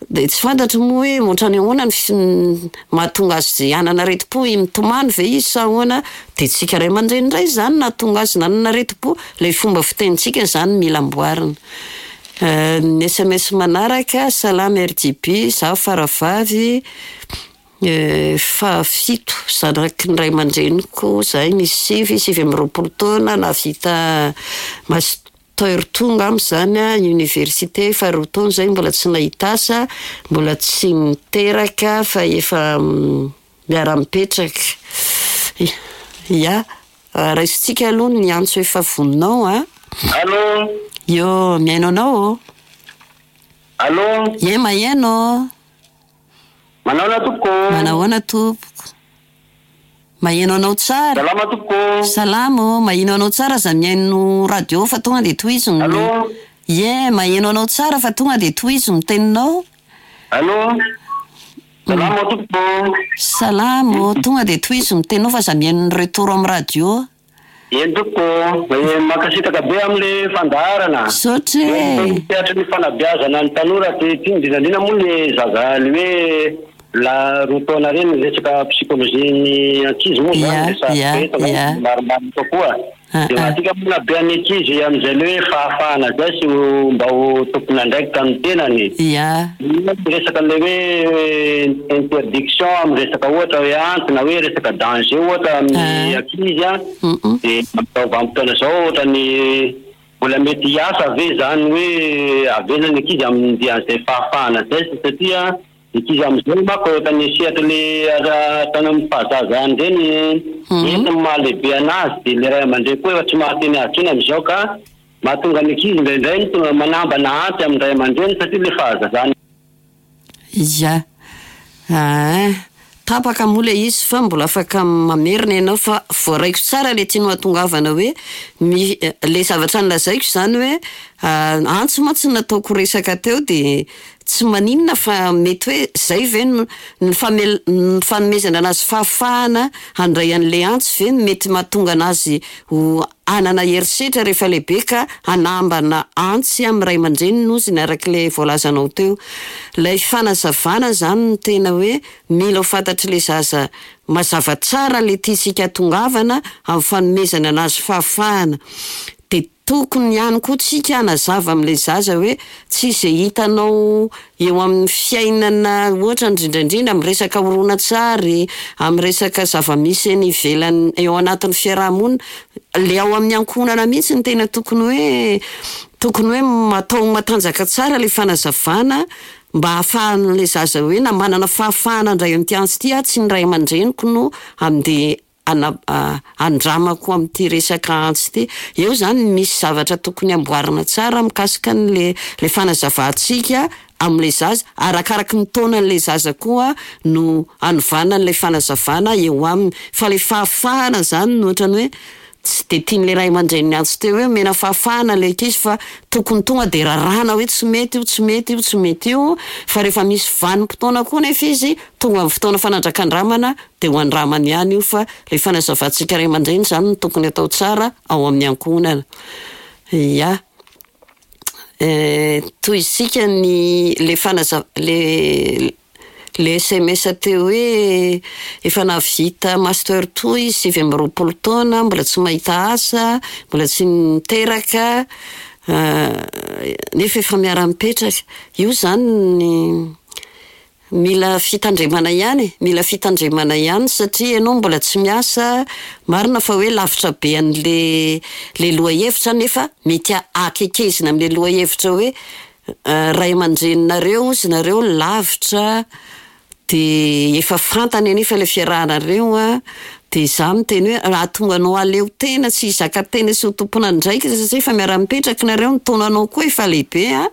de tsy fantatro moa hoe ohatrany ahoana ny fi-, mahatonga azy hanana aretim-po, mitomany ve izy sa ahoana, de tsika ray aman-dreny indray zany nahatonga azy nanana aretim-po. Ilay fomba fitenintsika zany mila amboarina. Ny S M S manaraka, salama R J B, zaho faravavy, fahafito, zanaky ny ray aman-dreniko, zahay misy sivy, sivy amby roapolo taona, nahavita master tonga amiko zany a, université efa roa taona zay mbola tsy nahita asa, mbola tsy niteraka fa efa miara-mipetraka. Ya, raisintsika aloha ny antso efa voninao a. Allô? Yo, mihaino anao ô. Allô? Ye, maheno. Manahoana tompoko? Manahoana tompoko? Maheno anao tsara. Salama tompoko. Salama ô, maheno anao tsara, aza mihaino radio fa tonga dia tohizo ny Allô? Ye, maheno anao tsara fa tonga dia tohizo ny teninao. Allô? Salama tompoko. Salama ô, tonga dia tohizo ny teninao fa aza mihaino ny retour amin'ny radio. Eny tompoko, mankasitraka be amin'le fandaharana. Misaotra e. Teatry ny fanabeazana ny tanora ty, ty indrindra indrindra moa le zaza le hoe la roa taona reny resaka psikôlôjia ny ankizy moa zany, Ya, resaka ya, betsaka, ya. maromaro kokoa. Ah, De ah. mahatsika moa na be an'ny ankizy amin'izay le hoe fahafahana zay sy ho mba ho tompon'andraikitra amin'ny tenany. Ya. Resaka le hoe interdiction amin'ny resaka ohatra hoe anty na hoe resaka danger ohatra amin'ny Ah. ankizy a. Mm-mm. De amin'izao vanim-potoana izao ohatra ny mbola mety hiasa ve zany hoe avela ny ankizy amin'ny an'izay fahafahana zay, satria ankizy amin'izao manko ohatra ny sehatra le ara-, tany amin'ny fahazazany ireny, Mhm. entiny mahalehibe anazy, de le ray aman-dreny koa efa tsy mahateny azy intsony amin'izao ka mahatonga ny ankizy indraindray ny tonga manambana anty amin'ny ray aman-dreny satria le fahazazany. Ya. Ah, tapaka moa le izy fa mbola afaka mamerina ianao fa voaraiko tsara le tianao hahatongavana hoe mi-, le zavatra nolazaiko zany hoe, ah, antso mantsy nataoko resaka teo de tsy maninona fa mety hoe zay ve no, ny famel-, ny fanomezana anazy fahafahana handray an'le antso ve no mety mahatonga anazy ho hanana herisetra rehefa lehibe ka hanambana antsy amin'ny ray aman-dreniny ozy ny arak'ilay voalazanao teo. Ilay fanazavana zany no tena hoe mila ho fantatr'ilay zaza mazava tsara le tiantsika hatongavana amin'ny fanomezana anazy fahafahana. De tokony ihany koa tsika hanazava amin'ilay zaza hoe tsy izay hitanao eo amin'ny fiainana ohatra indrindra indrindra amin'ny resaka horonantsary, amin'ny resaka zava-misy eny ivelany eo anatin'ny fiarahamonina, le ao amin'ny ankohonana mihitsy no tena tokony hoe, tokony hoe atao matanjaka tsara le fanazavana mba ahafahan'ilay zaza hoe na manana fahafahana handray an'ity antso ity aho, tsy ny ray aman-dreniko no andeha ana-, a-, andramako amin'ity resaka antso ity. Eo zany misy zavatra tokony amboarina tsara mikasika an'le, le fanazavantsika amin'ilay zaza, arakaraky ny taonan'ilay zaza koa no anovana an'ilay fanazavana eo aminy. Fa ilay fahafahana zany no ohatrany hoe Tsy de tian'le ray aman-dreny niantso teo hoe omena fahafahana le ankizy, fa tokony tonga de raràna hoe tsy mety io, tsy mety io, tsy mety io. Fa rehefa misy vanim-potoana koa nefa izy tonga amin'ny fotoana fanandrakandramana, de ho andramany ihany io. Fa le fanazavantsika ray aman-dreny zany no tokony atao tsara ao amin'ny ankohonana. Ia, toy isika ny le fanaza- le le S M S teo hoe efa nahavita master two izy sivy amby roapolo taona, mbola tsy mahita asa, mbola tsy niteraka, nefa efa miara-mipetraka. Io zany mila fitandremana ihany e, mila fitandremana ihany, satria ianao mbola tsy miasa. Marina fa hoe lavitra be an'le le lohahevitra, nefa mety akekezina am'le lohahevitra hoe ray aman-dreninareo izy nareo lavitra, de efa fantany anefa le fiarahanareo a. De za miteny hoe raha tonga anao aleo tena tsy hizaka tena sy ho tompon'andraikitra, satria efa miara-mipetraka nareo, ny taonanao koa efa lehibe a,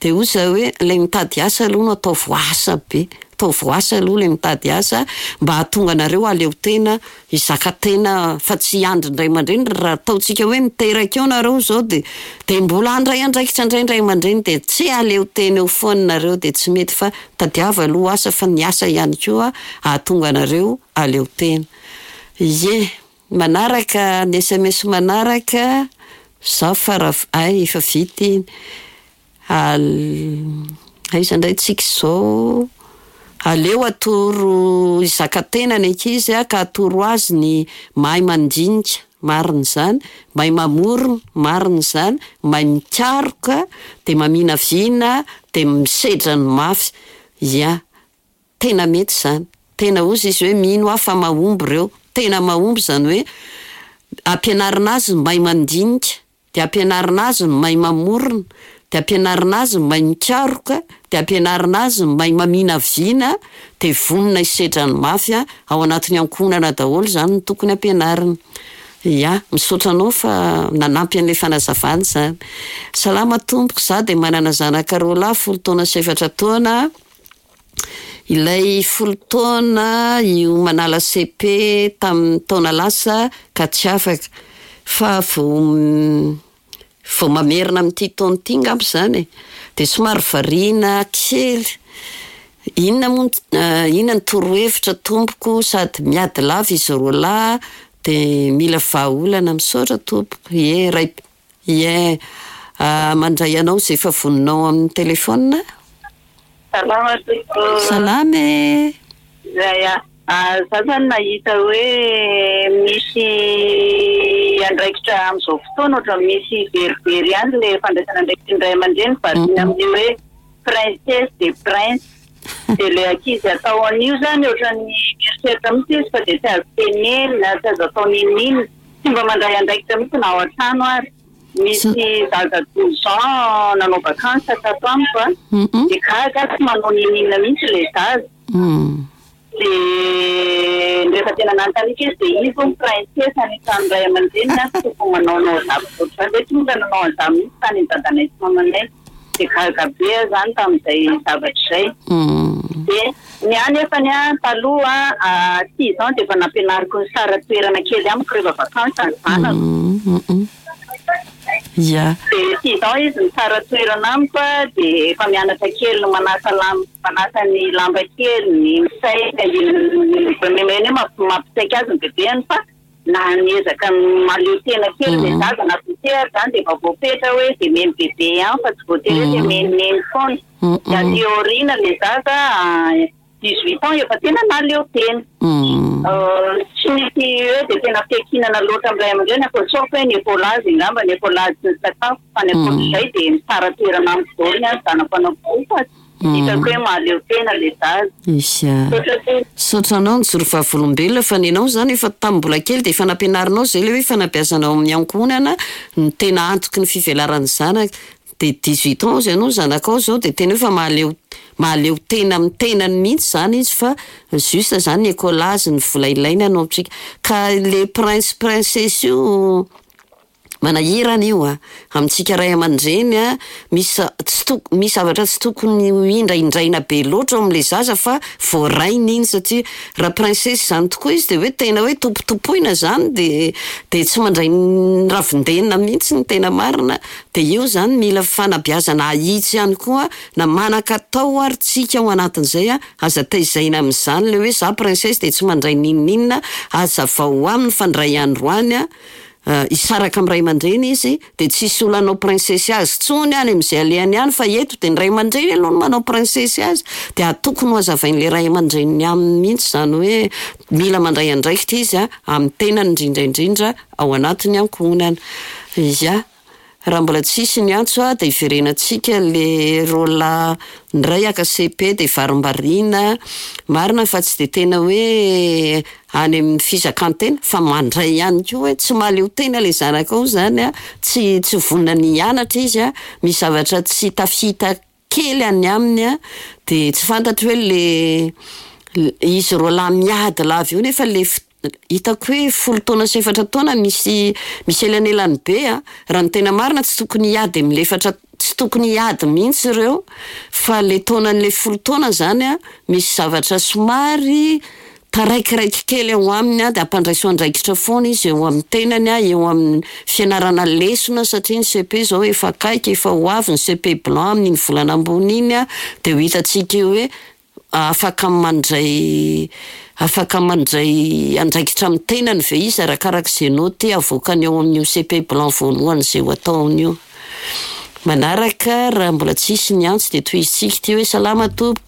de hoy za hoe le mitady asa aloha no ataovy asa be, ataovy asa aloha le mitady asa, mba hahatonga anareo aleo tena hizaka tena, fa tsy hiandry ny ray aman-dreny. Raha ataontsika hoe miteraka eo nareo zao, de de mbola handray andraikitra indray ny ray aman-dreny, de tsy aleo tena eo foana nareo, de tsy mety. Fa tadiava aloha asa, fa ny asa ihany koa hahatonga anareo aleo tena. Ie, manaraka ny S M S manaraka za fara ay efa vita iny. Al- aiza indray tsika izao? Aleo atoro hizaka tena ny ankizy a, ka atoro azy ny mahay mandinika, marina izany, mahay mamorona, marina izany, mahay mikaroka, de maminavina, de misedra ny mafy. Ia, tena mety izany. Tena ozy izy hoe mino aho fa mahomby ireo, tena mahomby izany hoe ampianarina azy ny mahay mandinika, de ampianarina azy ny mahay mamorona, de ampianarina azy ny mahay mikaroka, de ampianarina azy ny mahay maminavina, de vonona hisedra ny mafy a. Ao anatin'ny ankohonana daholo zany no tokony ampianarina. Ia, misaotra anao fa nanampy an'le fanazavana zany. Salama tompoko, za de manana zanaka roa lahy, folo taona sy efatra taona. Ilay folo taona io manala C P tamin'ny taona lasa ka tsy afaka, fa vao vao mamerina amin'ity taona ity ngamba zany e, de somary variana kely. Inona moa, inona ny torohevitra tompoko? Sady miady lava izy roa lahy, de mila vahaolana. Misaotra tompoko. Ie, ray ie, mandray anao zay efa voninao amin'ny telefona. Salama tompoko. Salama e. Zay a. Za zany nahita hoe misy andraikitra amin'izao fotoana, ohatra misy verivery ihany le fandraisana andraikitry ny ray aman-dreny, variana amin'ny hoe princesse de prince, de le ankizy atao an'io zany ohatran'ny mieritreritra mihitsy izy fa de tsy azo tenenina, tsy azo atao nininina, tsy mba mandray andraikitra mihitsy na ao an-trano. Ary misy zaza douze ans nanao vacances tato amiko a, de gaga, tsy manao nininina mihitsy le zaza. De rehefa tena nanontaniako izy, de izy ho princesse any an-trano ray aman-dreniny a, tsy tokony manaonao zavatra ohatr'izany, de tonga nanao an'izany mihitsy tany amin'ny dadanay sy mamanay, de gaga be aho zany tamin'izay zavatra izay. De ny any efany a, taloha six ans de efa nampianariko ny sara toerana kely amiko rehefa vacances ny zanako. Ia. De six ans izy mitsara toerana amiko a, de efa mianatra kely ny manasa lamba, manasa ny lamba kely, ny misaika meny hoe mampisaika azy ny bebeany, fa na niezaka mahaleo tena kely le zaza na potehary zany, de efa voapetra hoe de meny bebe ihany, fa tsy voatery hoe de menimeny foana. De aty aoriana le zaza dix huit ans efa tena nahaleo tena, tsy misy hoe de tena fiankinana loatra amin'ny ray aman-dreny, afa sauf hoe ny écolage angamba, ny écolage sy ny sakafo, fa ny ankoatr'izay de mitsara toerana amiko daholo ny any zanako anankiroa, fa hitako hoe mahaleo tena le zaza. Isy a. Saotra anao nijoro vavolombelona, fa ny anao zany efa tamin'ny mbola kely de efa nampianarinao zay le hoe fanabeazana ao amin'ny ankohonana ny tena antoky ny fivelaran'ny zanaka. De dix-huit ans ianao zanakao zao, de tena hoe fa mahaleo mahaleo tena amin'ny tenany mihitsy zany izy, fa juste zany ny écolage, ny vola ilaina no amintsika. Ka le prince princesse io Manahirana io a, amintsika ray aman-dreny a, misy tsy tok- misy zavatra tsy tokony ho indraindraina be loatra ao amin'ilay zaza fa voarainy iny, satria raha princesse izany tokoa izy de hoe tena hoe tompotompoina zany, de de tsy mandray ny ravin-dena mihitsy ny tena marina. De io zany mila fanabeazana ahitsy ihany koa, na manan-katao ary tsika ao anatin'izay a, aza tezaina amin'izany le hoe za princesse de tsy mandray n'inon'inona. Hazavao aminy fa indray andro any a, hisaraka amin'ny ray aman-dreny izy, de tsisy olona hanao princesse azy tsony any amin'izay alehany any, fa eto de ny ray aman-dreny aloha no manao princesse azy. De tokony ho hazavain'le ray aman-dreniny aminy mihitsy zany hoe mila mandray andraikitra izy a amin'ny tenany, indrindra indrindra ao anatin'ny ankohonana. Ia, raha mbola tsisy ny antso a, de hiverenantsika le rola ndray aka C P, de varimbariana marina fa tsy de tena hoe any amin'ny fizakan-tena fa mandray ihany koa hoe tsy mahaleo tena le zanakao zany a, tsy tsy vonona ny hianatra izy a, misy zavatra tsy tafita kely any aminy a, de tsy fantatro hoe le izy roalahy miady lava io, nefa le hitako hoe folo taona sy efatra taona misy misy elanelany be a. Raha ny tena marina, tsy tokony hiady amin'le efatra, tsy tokony hiady mihitsy ireo, fa le taonan'le folo taona zany a, misy zavatra somary taraikiraiky kely ao aminy a, de ampandraiso andraikitra foana izy eo amin'ny tenany a, eo amin'ny fianarana lesona, satria ny C P zao efa akaiky, efa ho avy ny C P blanc amin'iny volana ambony iny a, de ho hitantsika eo hoe afaka mandray afaka mandray andraikitra amin'ny tenany ve izy, arakarak'izay noty avoakany ao amin'io C P blanc voalohany zay ho ataony io. Manaraka, raha mbola tsisy ny antso, de tohizitsika ty hoe: salama tompo,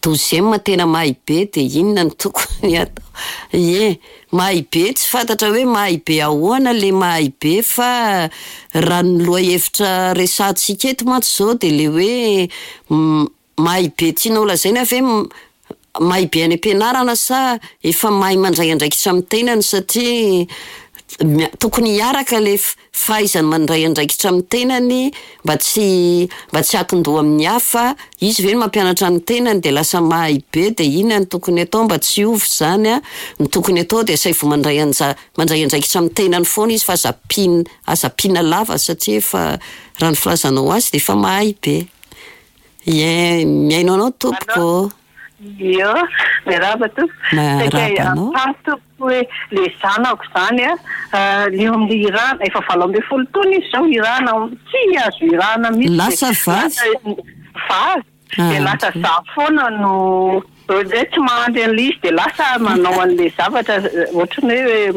douzième tena mahay be, de inona no tokony atao? Ie, mahay be, tsy fantatra hoe mahay be ahoana le mahay be, fa raha ny lohahevitra resantsika eto mantsy zao de le hoe mahay be tianao lazaina ve mahay be any am-pianarana sa efa mahay mandray andraikitra amin'ny tenany? Satria tokony hiaraka le fahaizany mandray andraikitra amin'ny tenany mba tsy mba tsy akindoha amin'ny hafa izy ve no mampianatra ny tenany, de lasa mahay be. De inona no tokony atao mba tsy hiova zany a? Ny tokony atao de asaivo mandray anja mandray andraikitra amin'ny tenany foana izy, fa aza ampiana aza ampiana lava, satria efa raha ny filazanao azy de efa mahay be. Ie, mihaino anao tompoko. Io, miarahaba tompo. Miarahaba anao. Tompoko, hoe le zanako zany a, le eo amin'le irana, efa valo amby folo taona izy zao, irana tsy azo irana mihitsy. Lasa vavy? Vavy. De lasa za foana no hoe tsy mahandry an'le izy, de lasa manao an'le zavatra ohatrany hoe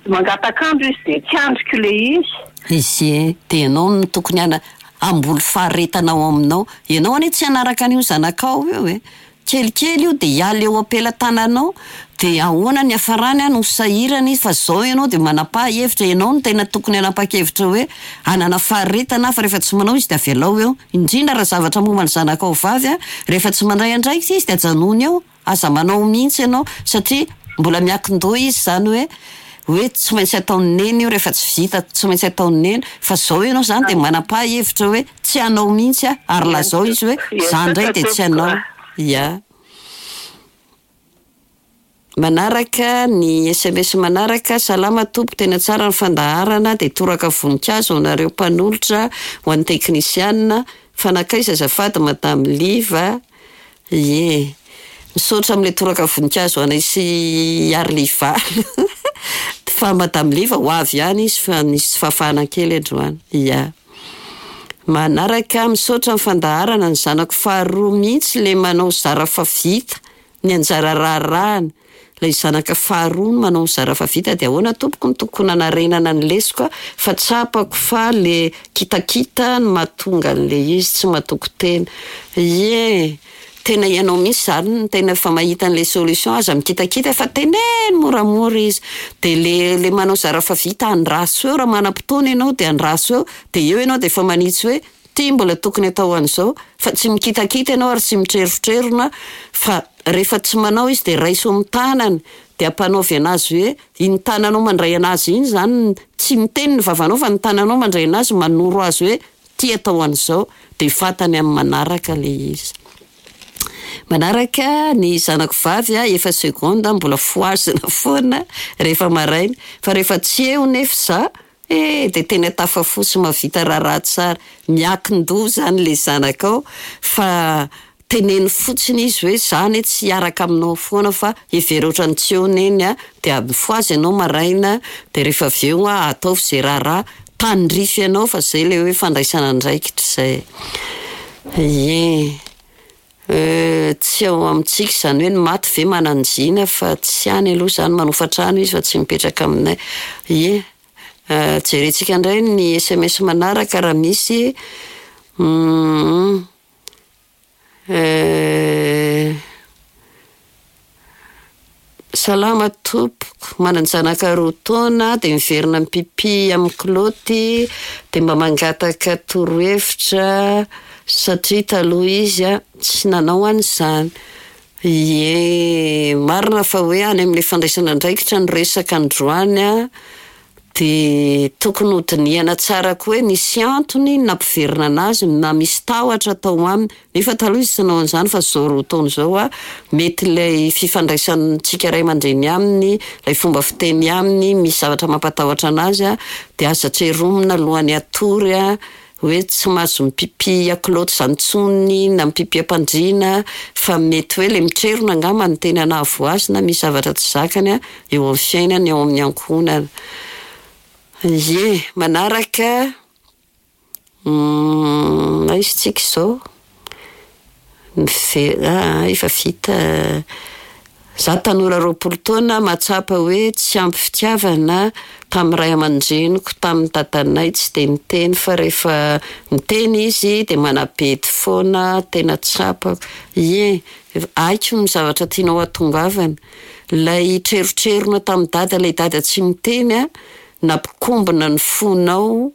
mangatak'andro izy, de tsy andriko le izy. Izy e, de ianao no tokony ana hamboly faharetana ao aminao ianao anie, tsy hanaraka an'io zanakao io e, kelikely io de hiala eo am-pelatananao, de ahoana ny hafarany a, no sahirana izy. Fa zao ianao de manapaha hevitra, ianao no tena tokony hanapa-kevitra hoe hanana faharetana, fa rehefa tsy manao izy de avelao eo, indrindra raha zavatra momba ny zanakao vavy a, rehefa tsy mandray andraikitra izy de ajanony eo, aza manao mihitsy ianao, satria mbola miakin-doha izy zany hoe hoe tsy maintsy ataony neny io, rehefa tsy vita tsy maintsy ataony neny. Fa zao ianao zany de manapaha hevitra hoe tsy hanao mihitsy a, ary lazao izy hoe za ndray de tsy hanao ia. Manaraka ny S M S manaraka: salama tompo, tena tsara ny fandaharana, de toraka voninkazo anareo mpanolotra, ho an'ny teknisianina fa nankaiza azafady madame Liva? Ie, misaotra amin'le toraka voninkazo anay sy Arliva, fa madame Liva ho avy ihany izy, fa nisy fahafahana kely androany. Ia, manaraka: misaotra ny fandaharana, ny zanako faharoa mihitsy le manao zara fa vita ny anjara raharahana, lay zanaka faharoa no manao zara fa vita, de ahoana tompoko ny tokony hanarenana ny lesoka, fa tsapako fa le kitakita no mahatonga an'le izy tsy mahatoky tena? Ie, tena ianao mihitsy zany no tena efa mahita an'le solution, aza mikitakita fa teneno moramora izy, de le le manao zara fa vita andraso eo, raha manam-potoana ianao de andraso eo, de eo ianao de efa manitsy hoe ty mbola tokony atao an'izao, fa tsy mikitakita ianao ary tsy mitrerotrerona. Fa rehefa tsy manao izy de raiso amin'ny tanany, de ampanaovy anazy hoe iny tananao mandray anazy iny zany, tsy miteny ny vavanao fa ny tananao mandray anazy, manoro azy hoe ty atao an'izao, de fantany amin'ny manaraka le izy. Manaraka ny zanako vavy a, efa seconde, mbola fohazina foana rehefa maraina, fa rehefa tsy eo nefa za, eh, dia tena tafafoha sy mahavita raharaha tsara. Miankin-doha izany ilay zanakao fa teneno fotsiny izy hoe za anie tsy hiaraka aminao foana fa hevero ohatran'ny tsy eo neny a, dia mifohaza ianao maraina, dia rehefa avy eo a, ataovy izay raharaha tandrify anao fa izay ilay hoe fandraisana andraikitra izay. Ie. Tsy ao amintsika izany hoe ny maty ve manan-jina fa tsy any aloha izany, manofa trano izy fa tsy mipetraka aminay. Ie. Jerentsika indray ny S M S manaraka raha misy. Mm. Salama tompoko, manan-janaka roa taona dia miverina mipipi amin'ny kilaoty dia mba mangataka torohevitra satria taloha izy a tsy nanao an'izany. Ie, marina fa hoe any amin'ilay fandraisana andraikitra no resaka androany a, dia tokony hodinihana tsara koa hoe nisy antony nampiverina anazy na misy tahotra tao aminy. Nefa taloha izy tsy nanao an'izany fa izao roa taona izao a, mety ilay fifandraisantsika ray aman-dreny aminy, ilay fomba fiteny aminy, misy zavatra mampatahotra anazy a, dia aza tseromina alohan'ny hatory a, hoe tsy mahazo mipipi kilaoty izany intsony na mipipi am-pandriana, fa mety hoe ilay mitrerona angamba no tena nahavoa azy na misy zavatra tsy zakany a eo amin'ny fiainany, eo amin'ny ankohonana. Ie, manaraka aiza tsika izao? Mive- ah, efa vita. Za tanora roapolo taona mahatsapa hoe tsy ampy fitiavana tamin'ny ray aman-dreniko, tamin'ny dadanay tsy dia niteny fa rehefa niteny izy dia manabedy foana, tena tsapako. Ie, haiko ny zavatra tianao hahatongavana. Ilay trerotrerona tamin'ny dada, ilay dada tsy miteny a, nampikombona ny fonao,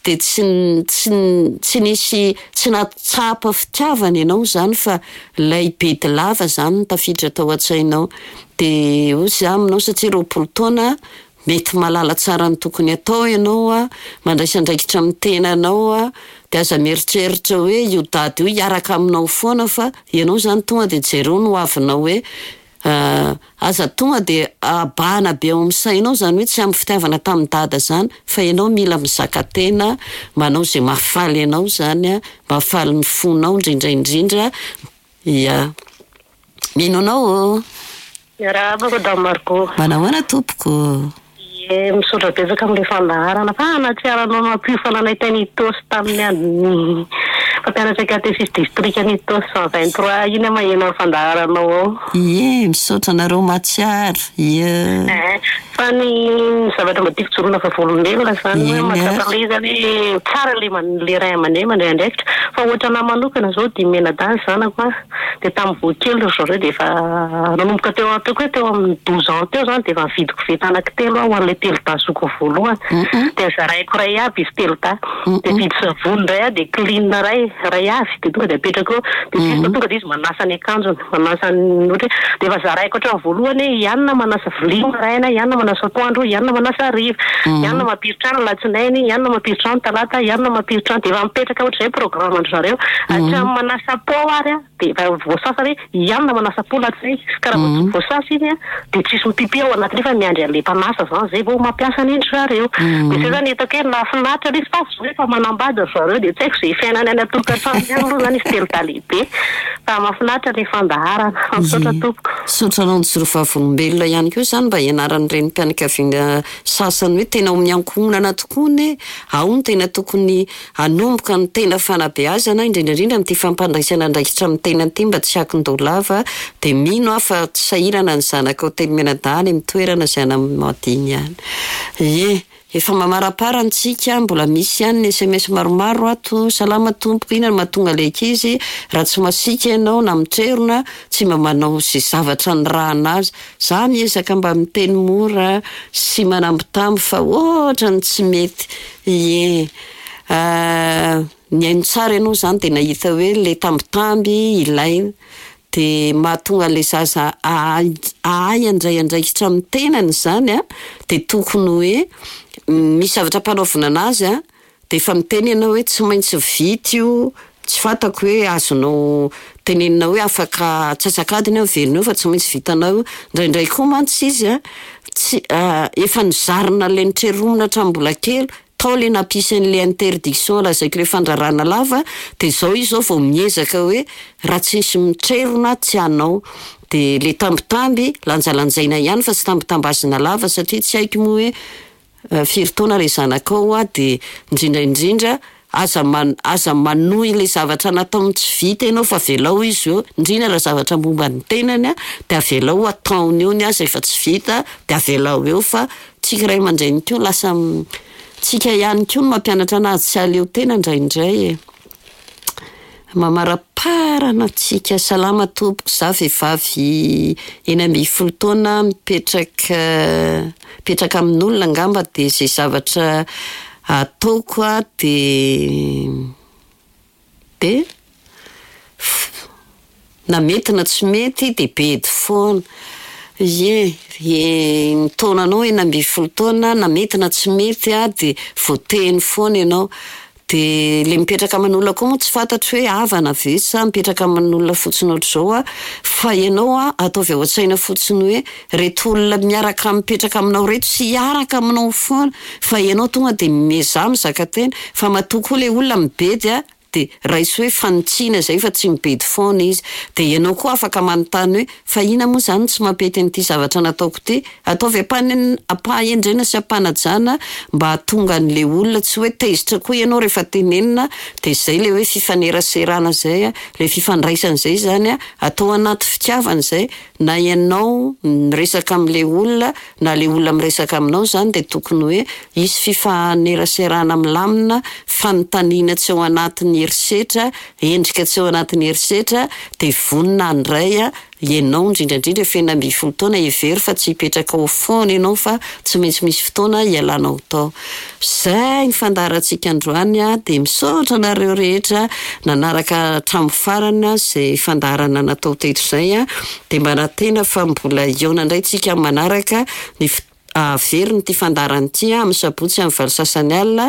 dia tsy tsy tsy nisy tsy nahatsapa fitiavana ianao izany fa ilay bedy lava izany no tafiditra tao an-tsainao. Dia hoy izy aminao satria roapolo taona mety mahalala tsara ny tokony atao ianao a, mandraisa andraikitra amin'ny tenanao a, dia aza mieritreritra hoe io dada io hiaraka aminao foana fa ianao izany tonga dia jereo ny hoavinao hoe aza tonga dia abahana be ao amin'ny sainao izany hoe tsy ampy fitiavana tamin'ny dada izany fa ianao mila mizaka tena, manao izay mahafaly anao izany a, mahafaly ny fonao indrindra indrindra. Ia. Mino anao ô. Miarahaba Madame Margot. Manahoana tompoko? Ie, misaotra betsaka amin'ilay fandaharana fa nahatsiaro anao nampiofana anay tany Itaosy tamin'ny andron'ny mpampianatra katesisy distrika ny Itaosy cent vingt-trois iny aho maheno ny fandaharanao ao. Ie, misaotra anareo mahatsiaro. Ie. Fa ny zavatra mba tiako jorona vavolombelona izany hoe mahatsapa ilay izy zany hoe tsara ilay man- ilay ray aman-dreny mandray andraikitra fa ohatra anahy manokana izao dimy mianadahy ny zanako a, dia tamin'ny vao kely ry zareo dia efa nanomboka teo ataoko hoe teo amin'ny douze ans teo izany dia efa nividy koveta anankitelo aho ho an'ilay telo dahy zokiny voalohany, dia zaraiko iray aby izy telo dahy, dia vidy savony iray aho dia clean iray iray avy dia tonga dia apetrako eo, dia juste tonga dia izy manasa ny akanjony, manasa ny ohatra hoe dia efa zaraiko hatramin'ny voalohany hoe i Anna manasa vilia maraina, i Anna manasa atoandro, i Anna manasa hariva, i Anna mampiry-trano alatsinainy, i Anna mampiry-trano talata, i Anna mampiry-trano, dia efa mipetraka ohatr'izay programme an-dry zareo, hatramin'ny manasa pao ary a, dia efa voasasa hoe i Anna manasa pao alatsinainy, ka raha vao tsy voasasa iny a, dia tsisy mipipi ao anatiny fa miandry an'ilay mpanasa izany izay vao mampiasa an'indry zareo. Dia izay izany hitako hoe nahafinaritra ilay izy fa zao efa manambady ry zareo dia tsy haiko izay fiainany any an-tokantrano ihany aloha izany izy telo dahy lehibe fa mahafinaritra ilay fandaharana. Fa misaotra tompoko. Misaotra anao nijoro vavolombelona ihany koa izany mba hianaran'ny renim-pianakaviana sasany hoe tena ao amin'ny ankohonana tokoa ne ao no tena tokony hanomboka ny tena fanabeazana, indrindra indrindra amin'ity fampandraisana andraikitra amin'ny tena ity mba tsy hakin-doha lava, dia mino aho fa tsy sahirana ny zanakao telo mianadahy any amin'ny toerana izay anamadiany ihany. Ie, efa mamaraparana antsika, mbola misy ihany ny S M S maromaro ato. Salama tompoko, inona no mahatonga ilay ankizy raha tsy masiaka ianao na mitrerona, tsy mba manao izay zavatra nirahana azy. Za miezaka mba miteny mora sy manambitamby fa ohatra ny tsy mety. Ie. Nihaino tsara ianao izany dia nahita hoe ilay tambitamby ilaina dia mahatonga ilay zaza ahay ahay handray andraikitra amin'ny tenany izany a, dia tokony hoe misy zavatra ampanaovina anazy a, dia efa miteny ianao hoe tsy maintsy vita io, Tsy fantako hoe azonao tenenina hoe afaka antsasak'adiny aho miverina eo fa tsy maintsy vitanao io. Indraindray koa mantsy izy a, tsy efa nozarina ilay notreronina hatramin'ny mbola kely, tao ilay nampisy an'ilay interdiction lazaiko ilay fandrarana lava, dia izao izy izao vao miezaka hoe raha tsisy mitrerona tsy hanao. Dia ilay tambitamby lanjalanjaina ihany fa tsy tambitambazina lava satria tsy haiko moa hoe firy taona ilay zanakao a, dia indrindra indrindra aza man- aza manohy ilay zavatra nataony tsy vita ianao fa avelao izy eo, indrindra raha zavatra momba ny tenany a, dia avelao ataony eo ny azy rehefa tsy vita dia avelao eo fa tsika ray aman-dreny koa lasa tsika ihany koa no mampianatra anazy tsy hahaleo tena indraindray e. Mamaraparana antsika. Salama tompoko, za vehivavy enina ambin'ny folo taona mipetraka mipetraka amin'olona angamba, dia izay zavatra ataoko a dia dia na mety na tsy mety dia bedy foana. Ie, ie, ny taonanao enina ambin'ny folo taona, na mety na tsy mety a dia voateny foana ianao. Dia ilay mipetraka aman'olona koa moa tsy fantatro hoe havana ve sa mipetraka aman'olona fotsiny ohatr'izao a, fa ianao a ataovy ao an-tsaina fotsiny hoe reto olona miaraka mipetraka aminao reto tsy hiaraka aminao foana fa ianao tonga dia miezaha mizaka tena, fa matoa koa ilay olona mibedy a dia raiso hoe fanitsiana izay fa tsy mibedy foana izy. Dia ianao koa afaka manontany hoe fa inona moa izany no tsy mampety an'ity zavatra nataoko ity? Ataovy ampanen- ampahendrena sy ampanajana mba hahatonga an'ilay olona tsy hoe tezitra koa ianao rehefa tenenina, dia izay ilay hoe fifaneraserana izay a, ilay fifandraisana izay izany a, atao anaty fitiavana izay, na ianao miresaka amin'ilay olona na ilay olona miresaka aminao izany dia tokony hoe hisy fifaneraserana milamina, fanontaniana tsy ao anatin'ny herisetra, endrika tsy ao anatin'ny herisetra, dia vonona handray a ianao indrindra indrindra efa enina ambin'ny folo taona, hevero fa tsy hipetraka ao foana ianao fa tsy maintsy misy fotoana hialanao tao. Izay ny fandaharantsika androany a, dia misaotra anareo rehetra nanaraka hatramin'ny farany izay fandaharana natao teto izay a, dia manantena fa mbola hihaona indray tsika amin'ny manaraka ny fo- averina ity fandaharana ity a amin'ny sabotsy amin'ny valo sasany alina,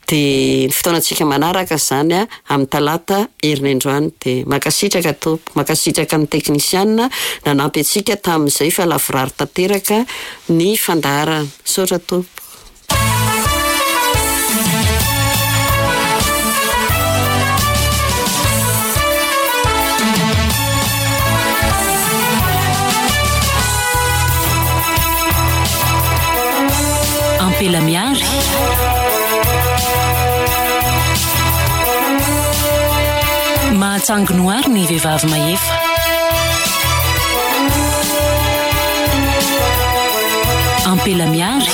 dia ny fotoanantsika manaraka izany a amin'ny talata herinandroany. Dia mankasitraka tompoko, mankasitraka ny teknisiana nanampy antsika tamin'izay fa lavorary tanteraka ny fandaharana. Misaotra tompoko. Ampela miary. Mahatsangy noary ny vehivavy mahefa. Ampela miary.